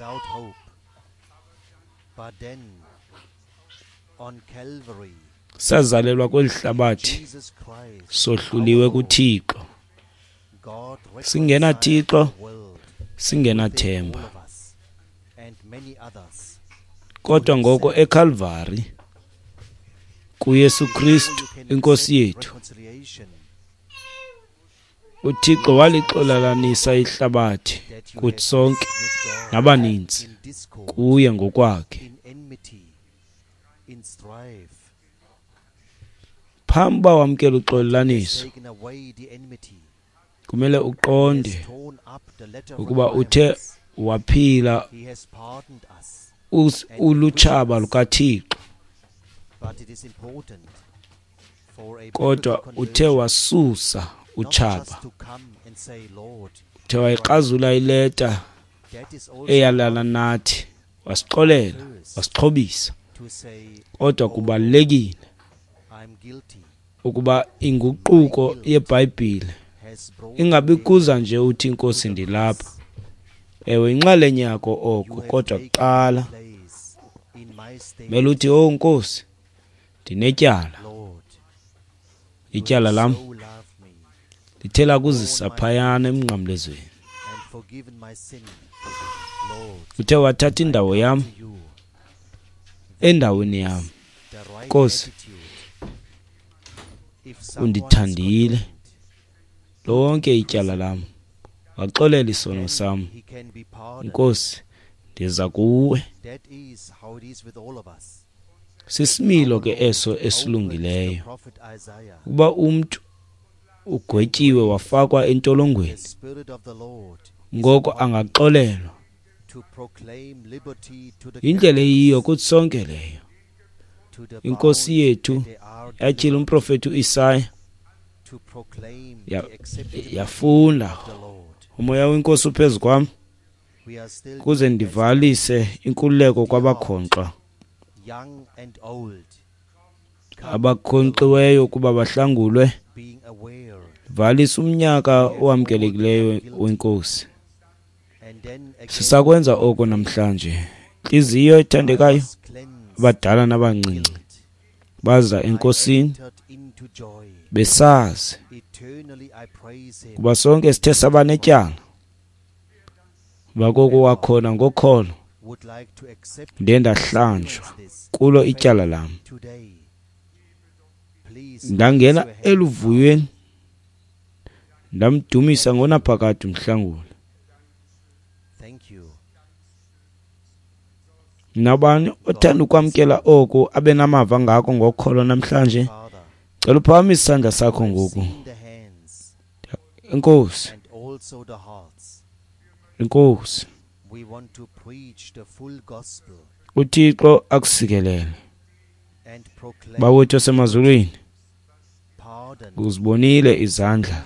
S2: Sazalelwa kweli hlabathi sohluliwe kuThixo, singena Thixo, singenathemba. Kodwa ngoko eCalvary kuYesu Kristu inkosi yethu, uThixo walixolalanisa ihlabathi kuthi sonke nabaninzi kuye ngokwakhe. Phambi uba wamkele uxolelaniso, kumele uqonde ukuba uthe waphila ulutshaba lukaThixo, kodwa uthe wasusa utshaba, uthe wayikrazula ileta eyalala nathi, wasixolela, wasixhobisa. Kodwa kubalulekile Ukuba inguquko yeBhayibhile ingabi kuza nje uthi Nkosi ndilapha. Ewe, inxalenye yako oko, kodwa kuqala mele uthi, oh Nkosi, ndinetyala. Ityala lam lithe lakuzisa phayana emnqamlezweni. Uthe wathatha indawo yam endaweni yam. Nkosi, undithandile lonke ityala lam, waxolela isono sam. Nkosi, ndiza kuwe. Sisimilo ke eso esilungileyo. Ukuba umntu ugwetyiwe wafakwa entolongweni, ngoko angaxolelwa. Indlela eyiyo kuthi sonke leyo. Inkosi yethu yatyhila umprofeti uIsaya, yafunda umoya wenkosi uphezu kwam kuze ndivalise inkululeko kwabakhonkxwa, abakhonkxiweyo ukuba bahlangulwe. Valisa umnyaka owamkelekileyo wenkosi. Sisakwenza oko namhlanje. Intliziyo ethandekayo, abadala nabancinci baza enkosini besazi kuba sonke sithe saba netyala. Bakoko wakhona ngokholo ndiye ndahlanjwa kulo ityala lam, ndangena eluvuyweni, ndamdumisa ngonaphakade umhlanguli. Nabani othanda ukwamkela oku abe namava ngako ngokholo namhlanje, cela uphakamise isandla sakho ngoku. Enkosi, Enkosi. UThixo akusikelele. Bawethu osemazulwini, uzibonile izandla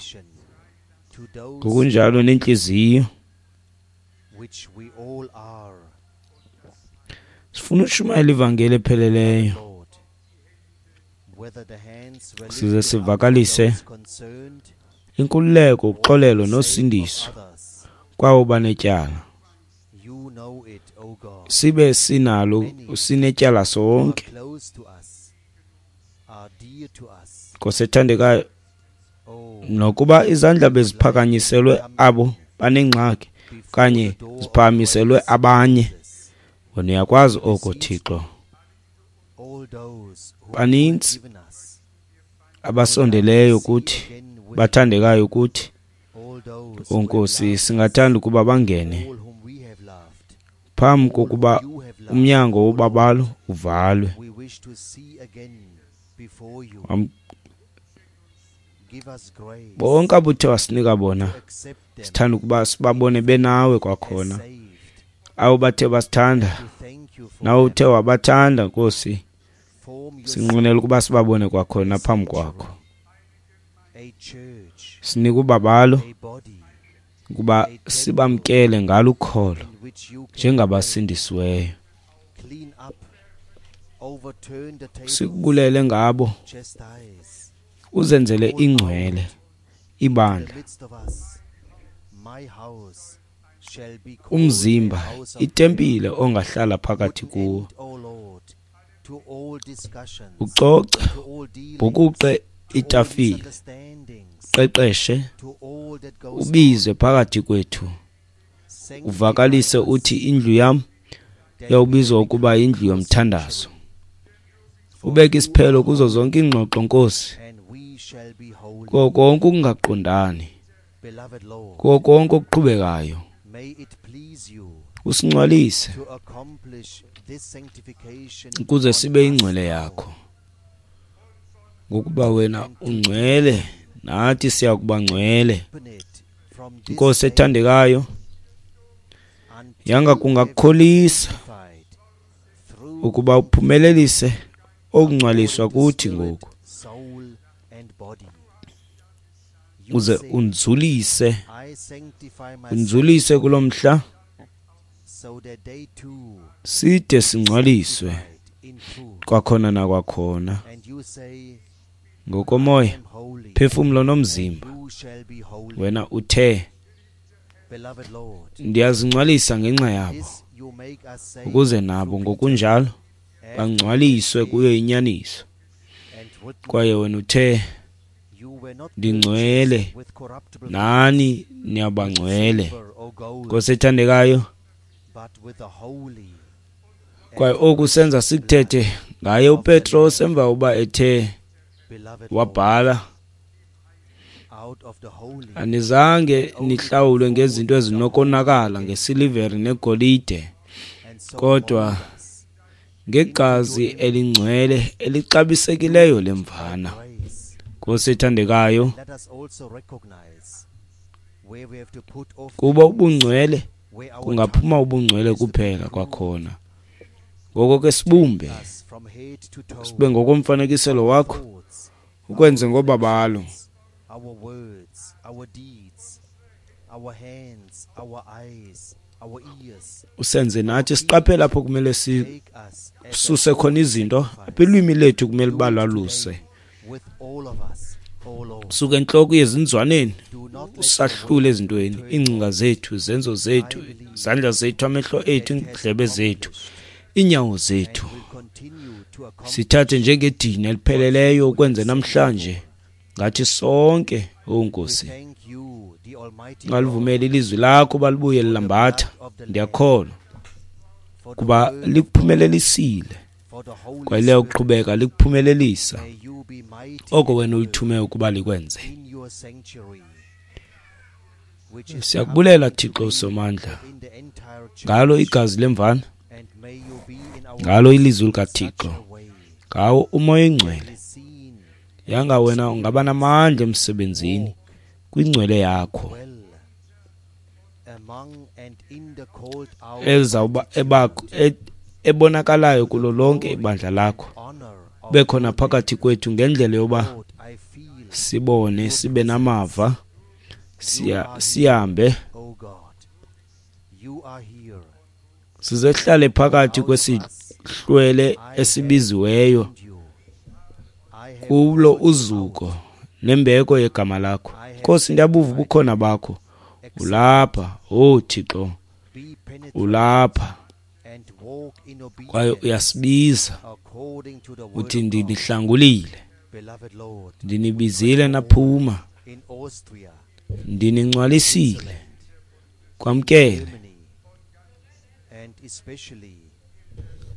S2: ngokunjalo nentliziyo. Sifuna ushumayela ivangeli epheleleyo, size sivakalise inkululeko, uxolelo nosindiso kwabo banetyala. Sibe sinalo sinetyala sonke. Nkosi ethandekayo, nokuba izandla beziphakanyiselwe abo banengxaki okanye ziphakamiselwe abanye, wena uyakwazi oko Thixo. Baninzi abasondeleyo kuthi, bathandekayo kuthi. Nkosi, singathanda ukuba bangene phambi kokuba umnyango wobabalo uvalwe. Bonke abuthe wasinika bona, sithanda ukuba sibabone benawe kwakhona. Abo bathe basithanda, nawe uthe wabathanda Nkosi, sinqwenela ukuba sibabone kwakhona phambi kwakho. Sinika ubabalo ukuba sibamkele ngalo ukholo njengabasindisiweyo. Sikubulele ngabo, uzenzele ingcwele ibandla, umzimba, itempile ongahlala phakathi kuwo. Ucoce, bhukuqe itafile, qeqeshe, ubize phakathi kwethu, uvakalise uthi indlu yam yawubizwa ukuba indlu yomthandazo. Ubeke isiphelo kuzo zonke iingxoxo Nkosi, kuko konke ukungaqondani, kuko konke okuqhubekayo. Usingcwalise ukuze sibe ingcwele yakho, ngokuba wena ungcwele nathi siya kuba ngcwele. Nkosi ethandekayo, yanga kungakukholisa ukuba uphumelelise okungcwaliswa kuthi ngoku, uze unzulise unzulise kulo mhla side singcwaliswe Kwakhona nakwakhona ngokomoya, phefumlo nomzimba. Wena uthe, ndiyazingcwalisa ngenxa yabo, ukuze nabo ngokunjalo bangcwaliswe kuyo inyaniso. Kwaye wena uthe, ndingcwele, nani niyabangcwele. Nkosi ethandekayo, kwaye oku senza sikuthethe ngaye uPetros emva uba ethe wabhala, anizange nihlawulwe ngezinto ezinokonakala, ngesilivere negolide, kodwa ngegazi elingcwele elixabisekileyo lemvana. Nkosi ethandekayo, kuba ubungcwele kungaphuma ubungcwele kuphela kwakhona. Ngoko ke sibumbe sibe ngokomfanekiselo wakho, ukwenze ngobabalo. Usenze nathi siqaphele apho kumele sisuse khona izinto, apha ilwimi lethu kumele uba lwaluse. Suka entloko uye ezinzwaneni, usahlule ezintweni, iingcinga zethu, izenzo zethu, izandla zethu, amehlo ethu, iindlebe zethu, iinyawo zethu. Sithathe njengedini elipheleleyo ukwenze namhlanje ngathi sonke, o Nkosi. Ungalivumeli ilizwi lakho balibuye lilambatha. Ndiyakholwa kuba likuphumelelisile, kwaye liyakuqhubeka likuphumelelisa oko wena ulithume ukuba likwenze. Siyakubulela Thixo Somandla ngalo igazi lemvana, ngalo ilizwi likaThixo, ngawo uMoya oyiNgcwele. Yanga wena ungaba namandla emsebenzini kwingcwele yakho ezawuba ebonakalayo kulo lonke ibandla lakho, bekhona phakathi kwethu ngendlela yoba sibone, sibe namava, sihambe sizehlale phakathi kwesihlwele esibiziweyo kulo uzuko nembeko yegama lakho. Nkosi, ndiyabuva ubukhona bakho. Ulapha, oh Thixo, ulapha kwaye uyasibiza uthi ndinihlangulile, ndinibizile naphuma, ndiningcwalisile, kwamkele.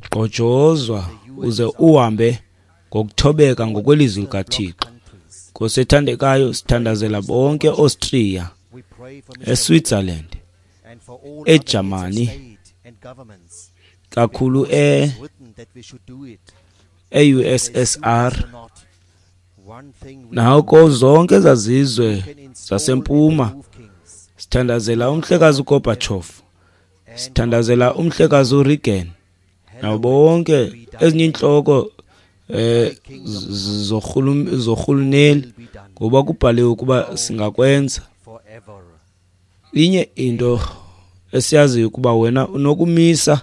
S2: Gqojozwa uze uhambe ngokuthobeka ngokwelizwi likaThixo. Nkosi ethandekayo, sithandazela bonke Austria, eSwitzerland, eJamani, kakhulu e e-U S S R, nako zonke ezazizwe zasempuma. Sithandazela umhlekazi uGorbachev, sithandazela umhlekazi uReagan, nabo bonke ezinye inhloko eh zorhuluneli, ngoba kubhaliwe ukuba singakwenza. Inye into esiyaziyo ukuba wena unokumisa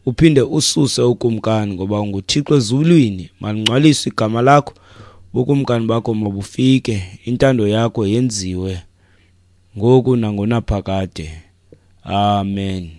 S2: uphinde ususe ukumkani, ngoba unguThixo ezulwini. Malingcwaliswe igama lakho, ubukumkani bakho mabufike, intando yakho yenziwe ngoku nangonaphakade. Amen.